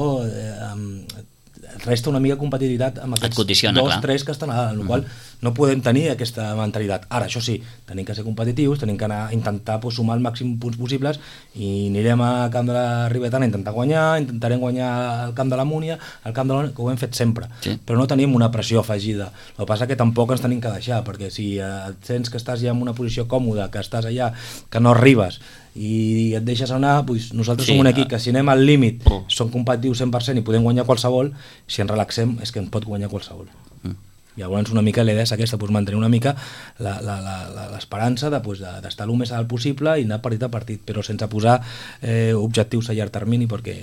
resta una mica competitivitat amb aquests condiciona, 2-3 que estan a dalt, amb la qual no podem tenir aquesta mentalitat. Ara, això sí, tenim que ser competitius, tenim que anar a intentar sumar el màxim punts possibles i anirem a camp de la Ribetana a intentar guanyar, intentarem guanyar al camp de la Múnia, al camp de la... que ho hem fet sempre, sí. Però no tenim una pressió afegida. El que passa que tampoc ens tenim que deixar, perquè si et sents que estàs ja en una posició còmoda, que estàs allà, que no arribes i et deixes anar, doncs nosaltres som un equip que si anem al límit som competitius 100% i podem guanyar qualsevol, si ens relaxem és que en pot guanyar qualsevol. Llavors una mica la idea és aquesta, mantenir una mica l'esperança d'estar el més alt possible i anar partit a partit, però sense posar objectius a llarg termini, perquè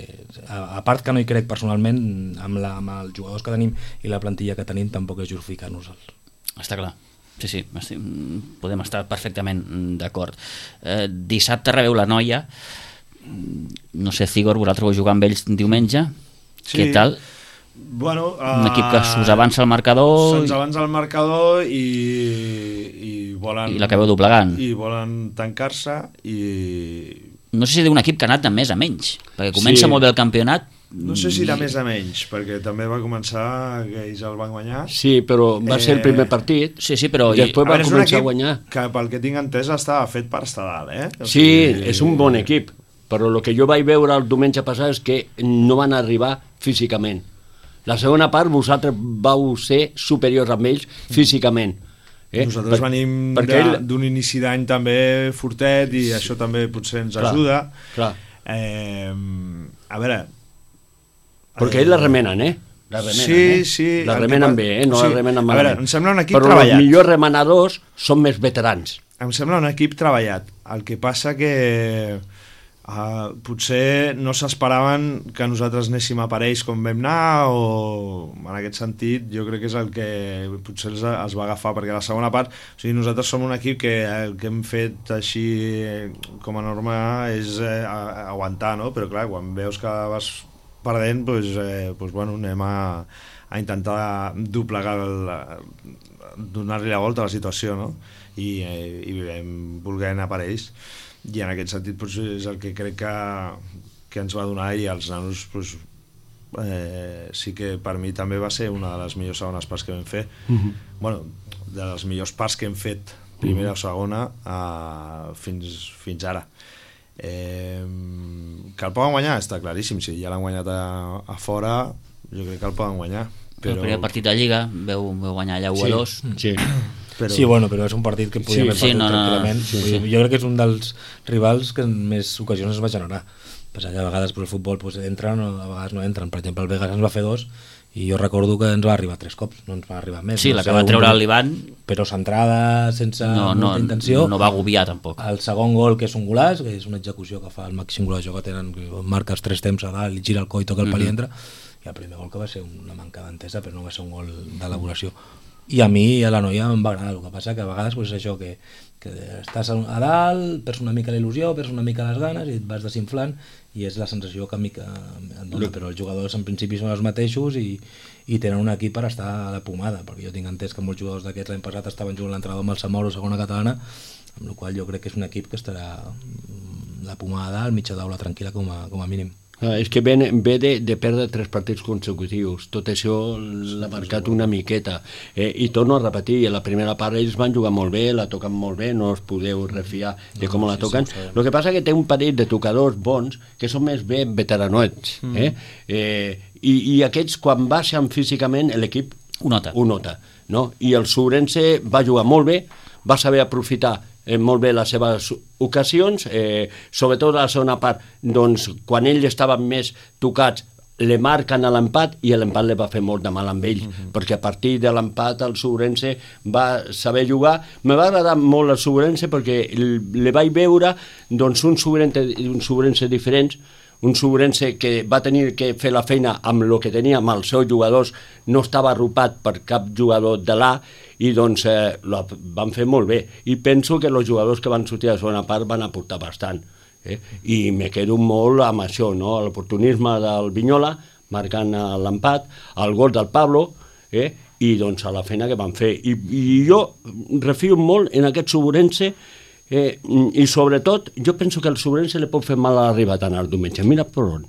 a part que no hi crec personalment, amb els jugadors que tenim i la plantilla que tenim tampoc és justificar-nos. Està clar. Sí, podem estar perfectament d'acord. Dissabte rebeu la Noia, no sé, Cigor, vosaltres vau jugar amb ells diumenge, sí. Què tal? Bueno, un equip que us avança al marcador, se'ns avança al marcador i volen... I l'acabeu doblegant. I volen tancar-se i... No sé si d'un equip que ha anat de més a menys, perquè comença molt bé el campionat. No sé si de més a menys, perquè també va començar que ells el van guanyar. Sí, però va ser el primer partit. Sí, però... I després va començar a guanyar. Que pel que tinc entès estava fet per estar dalt, O sigui, és un bon equip, però el que jo vaig veure el diumenge passat és que no van arribar físicament. La segona part vosaltres vau ser superiors amb ells físicament. Nosaltres venim d'un inici d'any també fortet i això també potser ens ajuda. Clar. A veure... Perquè ells la remenen, La remenen, sí. La remenen bé, no la remenen malament. A veure, em sembla un equip però treballat. Però els millors remenadors són més veterans. Em sembla un equip treballat. El que passa que potser no s'esperaven que nosaltres anéssim a parells com vam anar, o en aquest sentit jo crec que és el que potser els va agafar, perquè la segona part, o sigui, nosaltres som un equip que el que hem fet així com a norma és aguantar, no? Però clar, quan veus que vas perdent, doncs bueno, anem a intentar doblegar donar-li la volta a la situació, no? I vam voler anar per ells, i en aquest sentit doncs, és el que crec que ens va donar, i els nanos doncs, sí que per mi també va ser una de les millors segones parts que vam fer. Bueno, de les millors parts que hem fet primera o segona fins ara. Que el poden guanyar està claríssim, si ja l'han guanyat a fora jo crec que el poden guanyar, però... El primer partit de Lliga veu guanyar allà 1-2. Sí. Sí, bueno, però és un partit que podíem haver perdut tranquil·lament. Jo crec que és un dels rivals que en més ocasions es va generar. A vegades el futbol entren o a vegades no entren. Per exemple, el Vegas ens va fer 2 i jo recordo que ens va arribar 3 cops, no ens va arribar més. Sí, la que va treure l'Ivan, però centrada sense molta intenció. No va agobiar tampoc. El segon gol, que és un golaç, que és una execució que fa el màxim golejador que tenen, que marca els 3 temps a dalt i gira el coi, toca el pal i entra, i el primer gol que va ser una manca d'entesa, però no va ser un gol d'elaboració. i a mi a la noia em va agradar. El que passa que a vegades és això, que estàs a dalt, perds una mica la il·lusió, perds una mica les ganes i et vas desinflant, i és la sensació que a mi em dona, però els jugadors en principi són els mateixos i tenen un equip per estar a la pomada, perquè jo tinc entès que molts jugadors d'aquests l'any passat estaven jugant l'entrenador amb el Samoro, segona catalana, amb la qual jo crec que és un equip que estarà la pomada al mitjà d'aula tranquil·la com a mínim. És que ve de perdre 3 partits consecutius, tot això l'ha marcat una miqueta, i torno a repetir, a la primera part ells van jugar molt bé, la toquen molt bé, no us podeu refiar de com la toquen. El que passa que té un parell de tocadors bons que són més ben veteranoets, i aquests quan baixen físicament l'equip ho nota, no? I el Sobrense va jugar molt bé, va saber aprofitar molt bé les seves ocasions, sobretot a la segona part, doncs quan ells estaven més tocats le marquen a l'empat i l'empat li va fer molt de mal amb ells, perquè a partir de l'empat el Sobrense va saber jugar. Me va agradar molt el Sobrense perquè le vaig veure doncs, un Sobrense diferent, un Sobrense que va tenir que fer la feina amb el que tenia, amb els seus jugadors, no estava arropat per cap jugador de l'A, i doncs van fer molt bé. I penso que els jugadors que van sortir a la segona part van aportar bastant. I me quedo molt amb això, no? L'oportunisme del Vinyola, marcant l'empat, el gol del Pablo, i doncs a la feina que van fer. I jo refio molt en aquest Sobrense, i sobretot jo penso que el Sobrense li pot fer mal a l'Arribatana el diumenge, mira per on.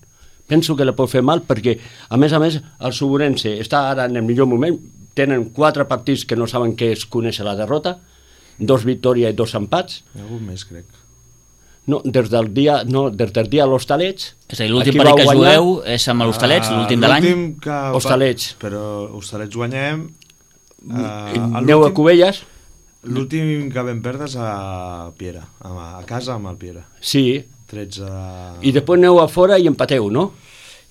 Penso que li pot fer mal perquè a més el Sobrense està ara en el millor moment, tenen 4 partits que no saben què és conèixer la derrota, 2 victòries i 2 empats. Algun més, crec. No, des del dia a l'Hostalets. És a dir, l'últim partit que jugueu és amb l'Hostalets, l'últim de l'any. Hostalets. Però Hostalets guanyem. Aneu a Cubelles. L'últim que vam perdre és a Piera, a casa amb el Piera. Sí. 13... I després aneu a fora i empateu, no?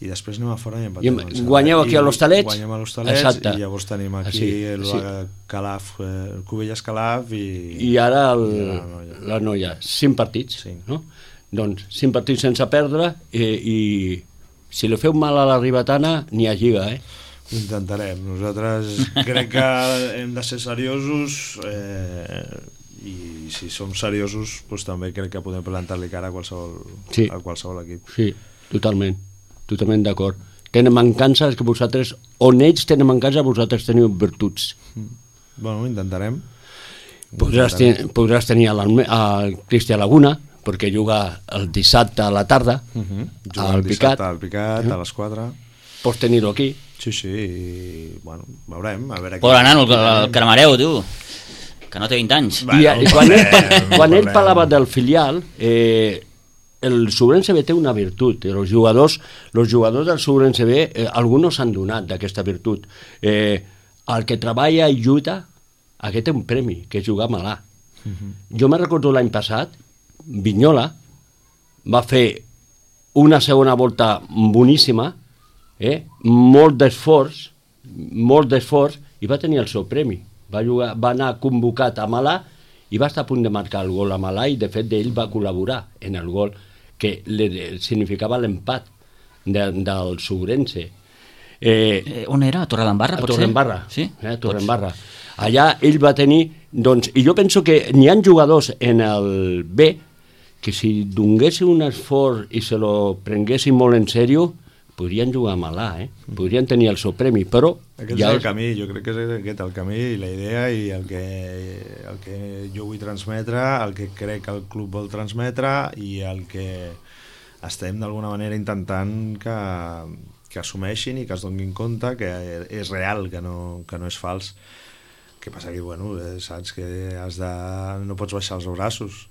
I després anem a fora i empatem. Guanyeu aquí a l'Hostalets. Guanyem a l'Hostalets i llavors tenim aquí Calaf, Cubelles Calaf i ara la Noia. 5 partits, no? Doncs 5 partits sense perdre i si li feu mal a la Ribetana n'hi ha lliga, Ho intentarem. Nosaltres crec que hem de ser seriosos i si som seriosos doncs també crec que podem plantar-li cara a qualsevol equip. Sí, totalment d'acord. Tenen mancances que vosaltres, on ells tenen mancances, vosaltres teniu virtuts. Bueno, intentarem. Podràs tenir el Cristian Laguna, perquè juga el dissabte a la tarda al Picat. Al Picat, a les 4. Pots tenir-ho aquí. Sí, bueno, veurem. Pobre nano, el Caramareu, tu, que no té 20 anys. Quan ell parlava del filial, el Sobrense B té una virtut. Els jugadors del Sobrense B, alguns s'han donat d'aquesta virtut. El que treballa i lluita, aquest té un premi, que és jugar a l'A. Jo me recordo l'any passat, Vinyola va fer una segona volta boníssima, molt d'esforç i va tenir el seu premi. Va anar convocat a Malà i va estar a punt de marcar el gol a Malà i de fet ell va col·laborar en el gol que significava l'empat del Sobrense. On era? A Torredembarra? A Torredembarra, sí? A Torredembarra. Allà ell va tenir, doncs, i jo penso que n'hi ha jugadors en el B que si donguessin un esforç i se lo prenguessin molt en sèrio podrien jugar a Malà, podrien tenir el seu premi, però... Aquest és el camí, jo crec que és aquest el camí i la idea i el que jo vull transmetre, el que crec que el club vol transmetre i el que estem d'alguna manera intentant que assumeixin i que es donin compte que és real, que no és fals. Que passa que, bueno, saps que no pots baixar els braços.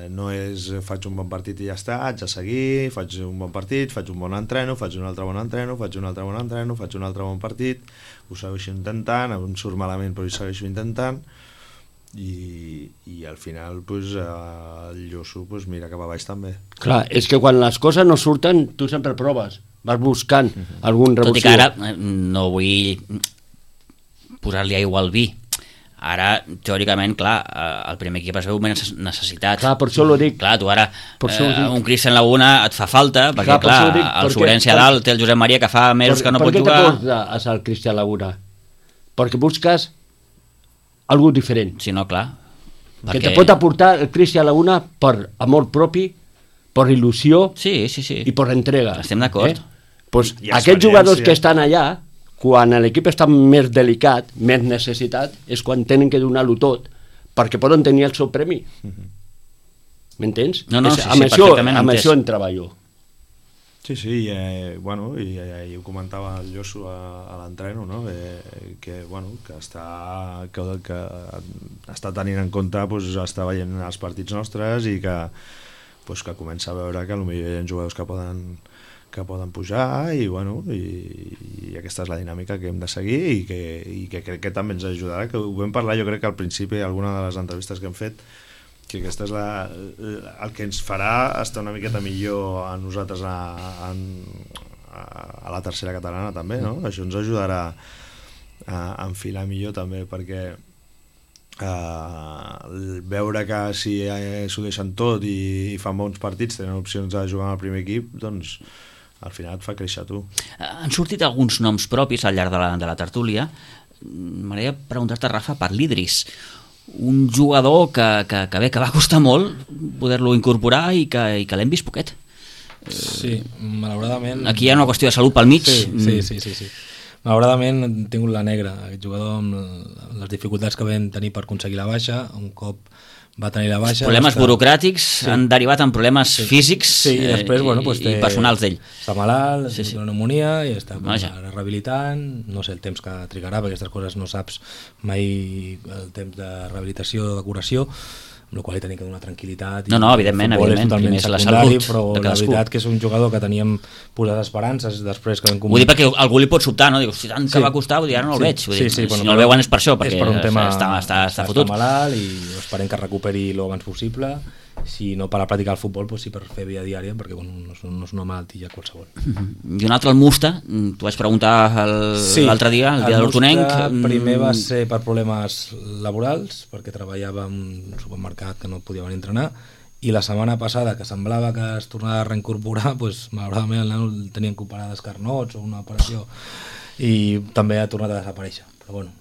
No és faig un bon partit i ja està, haig de seguir, faig un bon partit, faig un bon entreno, faig un altre bon entreno, faig un altre bon entreno, faig un altre bon partit, ho segueixo intentant, em surt malament però ho segueixo intentant i al final el llosso mira cap a baix també. Clar, és que quan les coses no surten tu sempre proves, vas buscant algun revulsiu. Tot i que ara no vull posar-li aigua al vi. Ara, teòricament, clar, el primer equip es veu més necessitat. Clar, per això l'ho dic. Clar, tu ara, un Cristian Laguna et fa falta, perquè, clar, el Sobrense a dalt té el Josep Maria que fa mesos que no pot jugar. Per què te porta el Cristian Laguna? perquè busques algo diferent. Sí, no, clar. Que te pot aportar el Cristian Laguna per amor propi, per il·lusió Sí. i per entrega. Estem d'acord. Pues I aquests jugadors experiència. que estan allà, quan l'equip està més delicat, més necessitat, és quan tenen que donar-ho tot perquè poden tenir el seu premi. M'entens? No, És- sí, amb sí, això, perfectament amb entès. això en treballo. Sí, bueno, i ho comentava el Josu a l'entreno, no? Que està tenint en compte, pues, està veient els partits nostres i que comença a veure que potser hi ha jugadors que poden pujar i aquesta és la dinàmica que hem de seguir i que crec que també ens ajudarà, que ho vam parlar jo crec que al principi alguna de les entrevistes que hem fet, que aquesta és el que ens farà estar una miqueta millor a nosaltres a la tercera catalana també, no? Això ens ajudarà a enfilar millor també, perquè veure que si s'ho deixen tot i fan bons partits, tenen opcions de jugar amb el primer equip, doncs al final et fa créixer tu. Han sortit alguns noms propis al llarg de la tertúlia. M'agradaria preguntar-te, Rafa, per l'Idris, un jugador que va costar molt poder-lo incorporar i que l'hem vist poquet. Sí, malauradament... Aquí hi ha una qüestió de salut pel mig. Sí. Malauradament hem tingut la negra, aquest jugador amb les dificultats que vam tenir per aconseguir la baixa, un cop va tenir la baixa... Problemes burocràtics han derivat en problemes físics i després, i personals d'ell. Està malalt, té una pneumonia i està ara rehabilitant, no sé el temps que trigarà, perquè aquestes coses no saps mai el temps de rehabilitació o de curació, amb la qual li tenim que donar tranquil·litat. No, evidentment, totalment primer és la secundari, salut però de la cadascú. veritat que és un jugador que teníem posades esperances després que vam... Vull dir perquè algú li pot sobtar, no? Diu, si tant que va costar, vull dir, ara no el veig. Vull dir, si no el veuen és per això, perquè per un tema, està fotut. Està malalt i esperem que es recuperi el abans possible. Si no per a practicar el futbol, doncs sí per fer via diària, perquè no és una malaltia qualsevol. I un altre, el Musta, t'ho vaig preguntar l'altre dia, el dia de l'Hortonenc. Primer va ser per problemes laborals, perquè treballava en un supermercat que no podia venir a entrenar, i la setmana passada, que semblava que es tornava a reincorporar, doncs, malauradament el nano el tenien que operar d'escarnots o una operació, i també ha tornat a desaparèixer. Però bueno,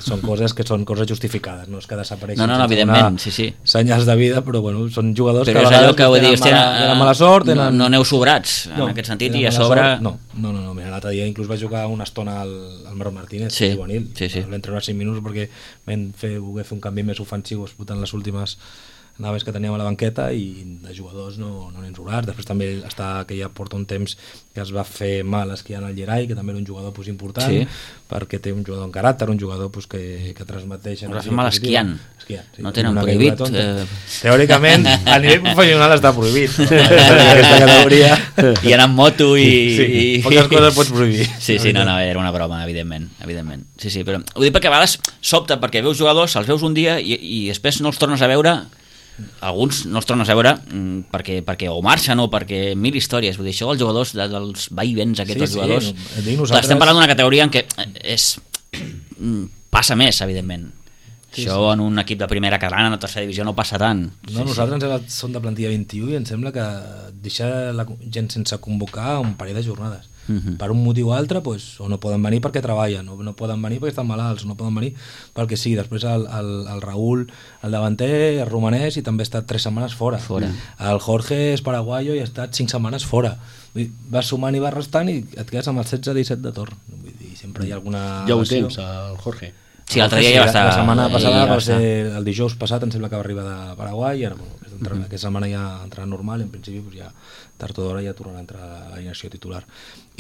són coses que són coses justificades, no és que desapareixin. No, evidentment, sí. Senyals de vida, però bueno, són jugadors però que a vegades tenen mala sort. No aneu sobrats, en aquest sentit, i a sobre... No, mira, l'altre dia inclús vaig jugar una estona al Marc Martínez, juvenil. Vam treure 5 minuts perquè voler fer un canvi més ofensiu disputant les últimes naves que teníem a la banqueta, i de jugadors no n'hem sobrats. Després també està que ja porta un temps que es va fer mal esquiant al Llerai, que també era un jugador important, perquè té un jugador en caràcter, un jugador que transmeteix... Es va fer mal esquiant. No tenen prohibit. Teòricament, a nivell professional està prohibit. Aquesta categoria... I anar amb moto i... Poques coses pots prohibir. Sí, no, era una broma, evidentment. Sí, però ho dic perquè a vegades sobta, perquè veus jugadors, els veus un dia i després no els tornes a veure. Alguns no els tornes a veure perquè o marxen o perquè mil històries. Vull dir, això els jugadors, dels vaivens aquests jugadors, estem parlant d'una categoria en què passa més, evidentment. Això en un equip de primera catalana, en tercera divisió, no passa tant. Nosaltres som de plantilla 21 i em sembla que deixar la gent sense convocar un parell de jornades. Per un motiu o altre, o no poden venir perquè treballen, o no poden venir perquè estan malalts, o no poden venir perquè sí. Després el Raúl, el davanter, és romanès i també ha estat 3 setmanes fora. El Jorge és paraguaio i ha estat 5 setmanes fora. Vas sumant i vas restant i et quedes amb el 16-17 de torn. Vull dir, sempre hi ha alguna... Ja ho tens, el Jorge. Sí, l'altre dia ja va estar... La setmana passada va ser el dijous passat, em sembla que va arribar de Paraguai, i ara, aquesta setmana ja entrarà normal, en principi ja tard o d'hora ja tornarà a entrar a l'alineació titular.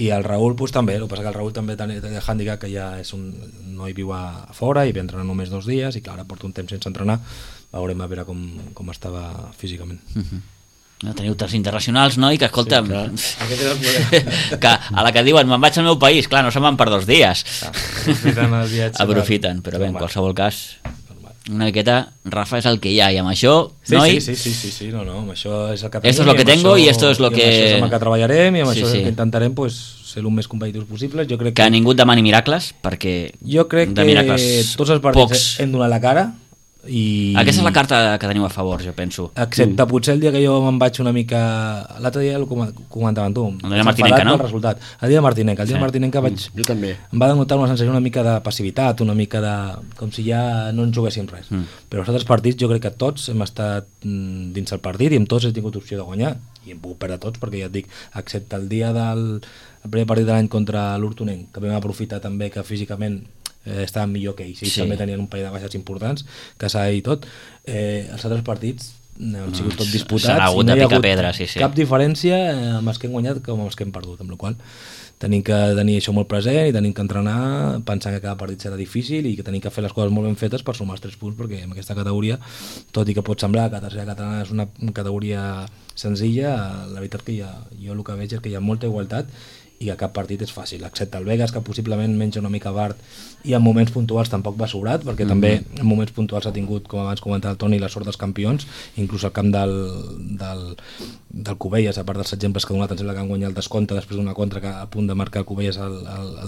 I el Raúl també, el que passa que el Raúl també té el hàndicap que ja és no hi viu a fora i ve entrenar només 2 dies i clar, ara porta un temps sense entrenar, veurem a veure com estava físicament. No, teniu tants internacionals, no? I que, escolta, que a la que diuen me'n vaig al meu país, clar, no se'n van per 2 dies. Aprofiten el viatge. Aprofiten, però bé, en qualsevol cas, una miqueta, Rafa, és el que hi ha, i amb això, noi... Sí, no, amb això és el que tenim. Esto es lo que tengo i esto es lo que... I amb això és amb el que treballarem i amb això és el que intentarem ser el més competitius possible. Jo crec que ningú et demani miracles, perquè... Jo crec que tots els partits hem donat la cara Aquesta és la carta que teniu a favor, jo penso. Excepte potser el dia que jo me'n vaig una mica... L'altre dia ho comentaven tu. El dia de Martinenca, no? El dia de Martinenca. El dia de Martinenca jo també. em va denotar una sensació una mica de passivitat, una mica de... com si ja no ens juguéssim res. Però els altres partits jo crec que tots hem estat dins el partit i amb tots hem tingut opció de guanyar. I hem pogut perdre tots, perquè ja et dic, excepte el dia del primer partit de l'any contra l'Hortonenc, que vam aprofitar també que físicament estaven millor que ells, també tenien un parell de baixes importants, que s'ha dit tot. Els altres partits han sigut tot disputats, s'ha hagut de picar pedra, cap diferència amb els que hem guanyat com amb els que hem perdut, amb la qual tenim que tenir això molt present i tenim que entrenar pensant que cada partit serà difícil i que tenim que fer les coses molt ben fetes per sumar els 3 punts, perquè en aquesta categoria, tot i que pot semblar que la tercera catalana és una categoria senzilla, la veritat que jo el que veig és que hi ha molta igualtat i que cap partit és fàcil, excepte el Vegas, que possiblement menja una mica Bart i en moments puntuals tampoc va sobrat, perquè també en moments puntuals ha tingut, com abans comentava el Toni, la sort dels campions, inclús el camp del Cubelles, a part dels exemples que ha donat, em sembla que han guanyat el descompte després d'una contra que a punt de marcar el Cubelles el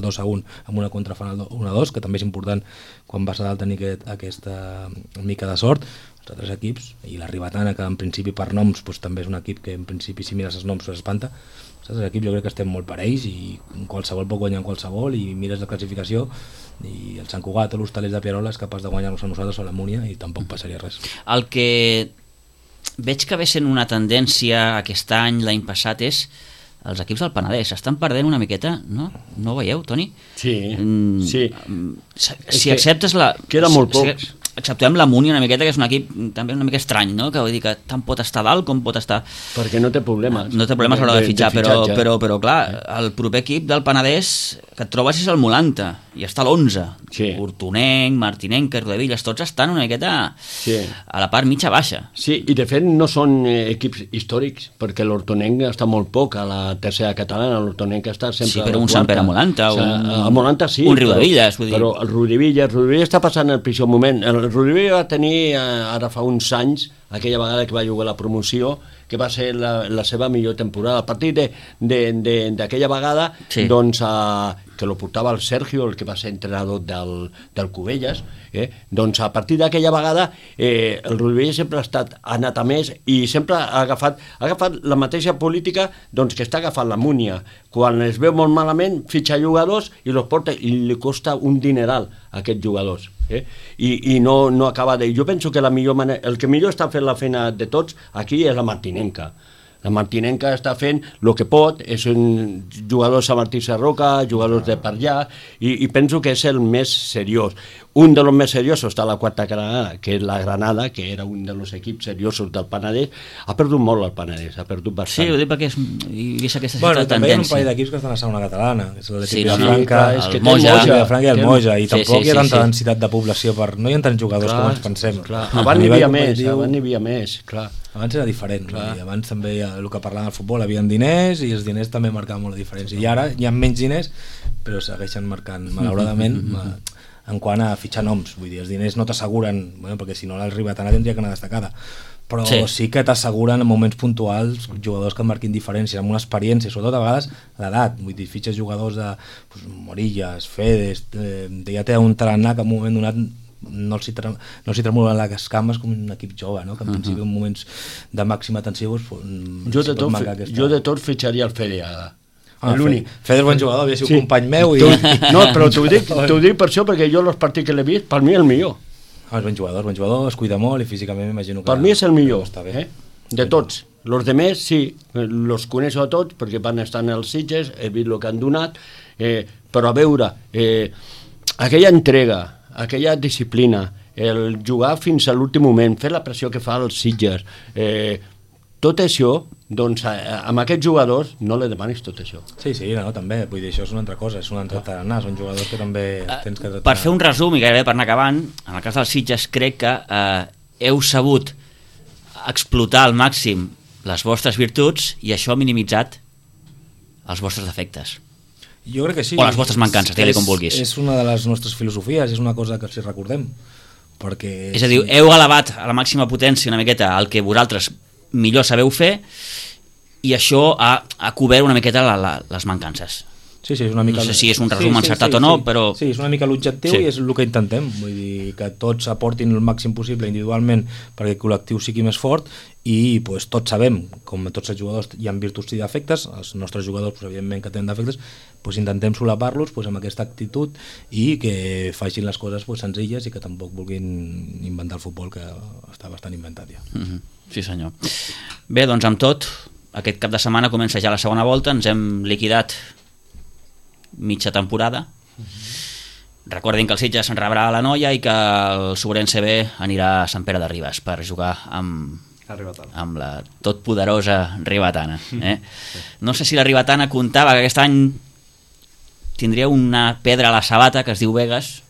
2-1 amb una contra fan el 1-2, que també és important quan vas a dalt tenir aquesta mica de sort. Els altres equips, i la Ribetana, que en principi per noms també és un equip que en principi si mires els noms s'espanta. Els altres equips jo crec que estem molt parells i qualsevol pot guanyar en qualsevol, i mires la classificació i el Sant Cugat o l'Hostalers de Pierola és capaç de guanyar-nos a nosaltres o la Múnia i tampoc passaria res. El que veig que ve sent una tendència aquest any, l'any passat, és els equips del Penedès estan perdent una miqueta, no? No ho veieu, Toni? Sí, sí. Si acceptes la... Queda molt pocs. Acceptem la Múnia una miqueta, que és un equip també una mica estrany, no? Que vull dir que tant pot estar dalt com pot estar... Perquè no té problemes. No té problemes a l'hora de fitxar, però clar, el proper equip del Penedès que et trobes és el Molanta, i està a l'11. Sí. Hortonenc, Martinenc, Rodavillas, tots estan una miqueta a la part mitja-baixa. Sí, i de fet no són equips històrics, perquè l'Hortonenc està molt poc a la tercera catalana, l'Hortonenc està sempre... Sí, però un Sant Pere Molanta, a Molanta sí, un Riudevillas, vull dir... Però el Riudevillas està passant el pitjor moment. El Riudevillas va tenir ara fa uns anys, aquella vegada que va jugar la promoció, que va ser la seva millor temporada. A partir d'aquella vegada, doncs, que lo portava el Sergio, el que va ser entrenador del Cubelles, doncs a partir d'aquella vegada el Riudevillas sempre ha anat a més i sempre ha agafat la mateixa política doncs, que està agafant la Múnia. Quan es veu molt malament, fitxa jugadors i los porta, i li costa un dineral a aquests jugadors. I no acaba de... Jo penso que el que millor està fent la feina de tots aquí és la Martinenca. La Martinenca està fent el que pot, és un jugador de Martí Sarroca, jugadors de per allà, i penso que és el més seriós. Un dels més seriosos està a la quarta Granada, que és la Granada, que era un dels equips seriosos del Penedès. Ha perdut molt el Penedès, ha perdut bastant. Sí, ho dic perquè hi ha aquesta tendència. També hi ha un parell d'equips que estan a segona catalana, que és l'equip de Franca, el Moja i el Moja, i tampoc hi ha tanta densitat de població, no hi ha tants jugadors com ens pensem. Abans n'hi havia més, clar. Abans era diferent, i abans també el que parlàvem del futbol, havia diners i els diners també marcaven molt la diferència, i ara hi ha menys diners però segueixen marcant, malauradament, en quant a fitxar noms, vull dir, els diners no t'asseguren, perquè si no la Ribetana tindria que anar destacada, però sí que t'asseguren en moments puntuals jugadors que marquin diferència, amb una experiència, sobretot a vegades l'edat, vull dir, fitxes jugadors de Morillas, Fedes, ja té un tarannà que en un moment donat no els hi tremolen les cames com un equip jove, no? Que en principi en moments de màxima tensió jo de tot fitxaria el Fede ara. L'únic. Fede és bon jugador, havia sigut company meu no, però t'ho dic per això, perquè jo els partits que l'he vist, per mi el millor. És bon jugador, es cuida molt i físicament m'imagino que... Per mi és el millor, de tots. Los demés, sí, los coneixo a tots, perquè van estar en els Sitges, he vist el que han donat, però a veure, aquella entrega, aquella disciplina, el jugar fins a l'últim moment, fer la pressió que fa els Sitges, tot això, doncs amb aquests jugadors no li demanis tot això. Sí, també, vull dir, això és una altra cosa, és un altre tarannà, són jugadors que també tens que tractar. Per fer un resum i gairebé per anar acabant, en el cas dels Sitges crec que heu sabut explotar al màxim les vostres virtuts i això ha minimitzat els vostres defectes. Jo crec que sí. O les vostres mancances, digue-li com vulguis. És una de les nostres filosofies, és una cosa que els recordem. Perquè... És a dir, heu elevat a la màxima potència una miqueta el que vosaltres millor sabeu fer i això ha cobert una miqueta les mancances. Sí, és una mica... No sé si és un resum encertat o no, però... Sí, és una mica l'objectiu i és el que intentem. Vull dir, dir, que tots aportin el màxim possible individualment perquè el col·lectiu sigui més fort i pues, tots sabem, com tots els jugadors hi ha virtuts i defectes, els nostres jugadors pues, evidentment que tenen defectes, pues, intentem solapar-los pues, amb aquesta actitud i que facin les coses pues, senzilles i que tampoc vulguin inventar el futbol que està bastant inventat ja. Sí senyor. Bé, doncs amb tot, aquest cap de setmana comença ja la segona volta, ens hem liquidat mitja temporada. Recordin que el Sitges rebrà a la Noia i que el Sobrense B anirà a Sant Pere de Ribes per jugar amb la totpoderosa Ribetana. No sé si la Ribetana comptava que aquest any tindria una pedra a la sabata que es diu Vegas,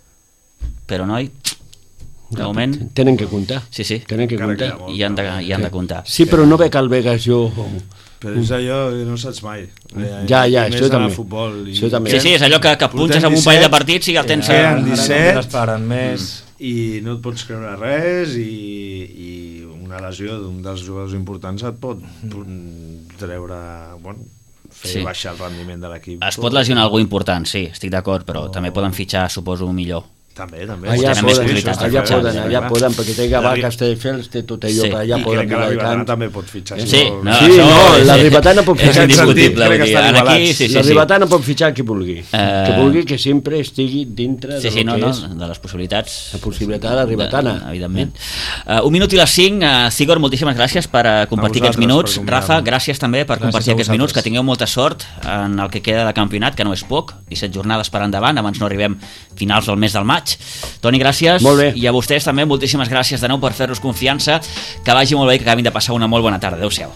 però noi, de moment... Tenen que comptar. Sí, sí. Tenen que comptar. I han de comptar. Sí, però no veig el Vegas jo... Però és allò que no saps mai. Ja, això també. Això també. Sí, és allò que punxes amb un parell de partits i el tens... Queden 17 més i no et pots creure res i una lesió d'un dels jugadors importants et pot treure... Bueno, fer baixar el rendiment de l'equip. Es pot lesionar algú important, sí, estic d'acord, però també poden fitxar, suposo, millor. També. Allà poden, perquè té Gavà, Castelldefels, té tot allò, que allà poden... I crec que la Ribetana també pot fitxar. Sí, la Ribetana pot fitxar... És indiscutible. La Ribetana pot fitxar qui vulgui. Que vulgui que sempre estigui dintre de les possibilitats. La possibilitat de la Ribetana. Evidentment. 1 minut i les 5. Sigor, moltíssimes gràcies per compartir aquests minuts. Rafa, gràcies també per compartir aquests minuts. Que tingueu molta sort en el que queda de campionat, que no és poc. 17 jornades per endavant, abans no arribem finals del mes del maig. Toni, gràcies, i a vostès també moltíssimes gràcies de nou per fer-nos confiança, que vagi molt bé i que acabin de passar una molt bona tarda. Adéu-siau.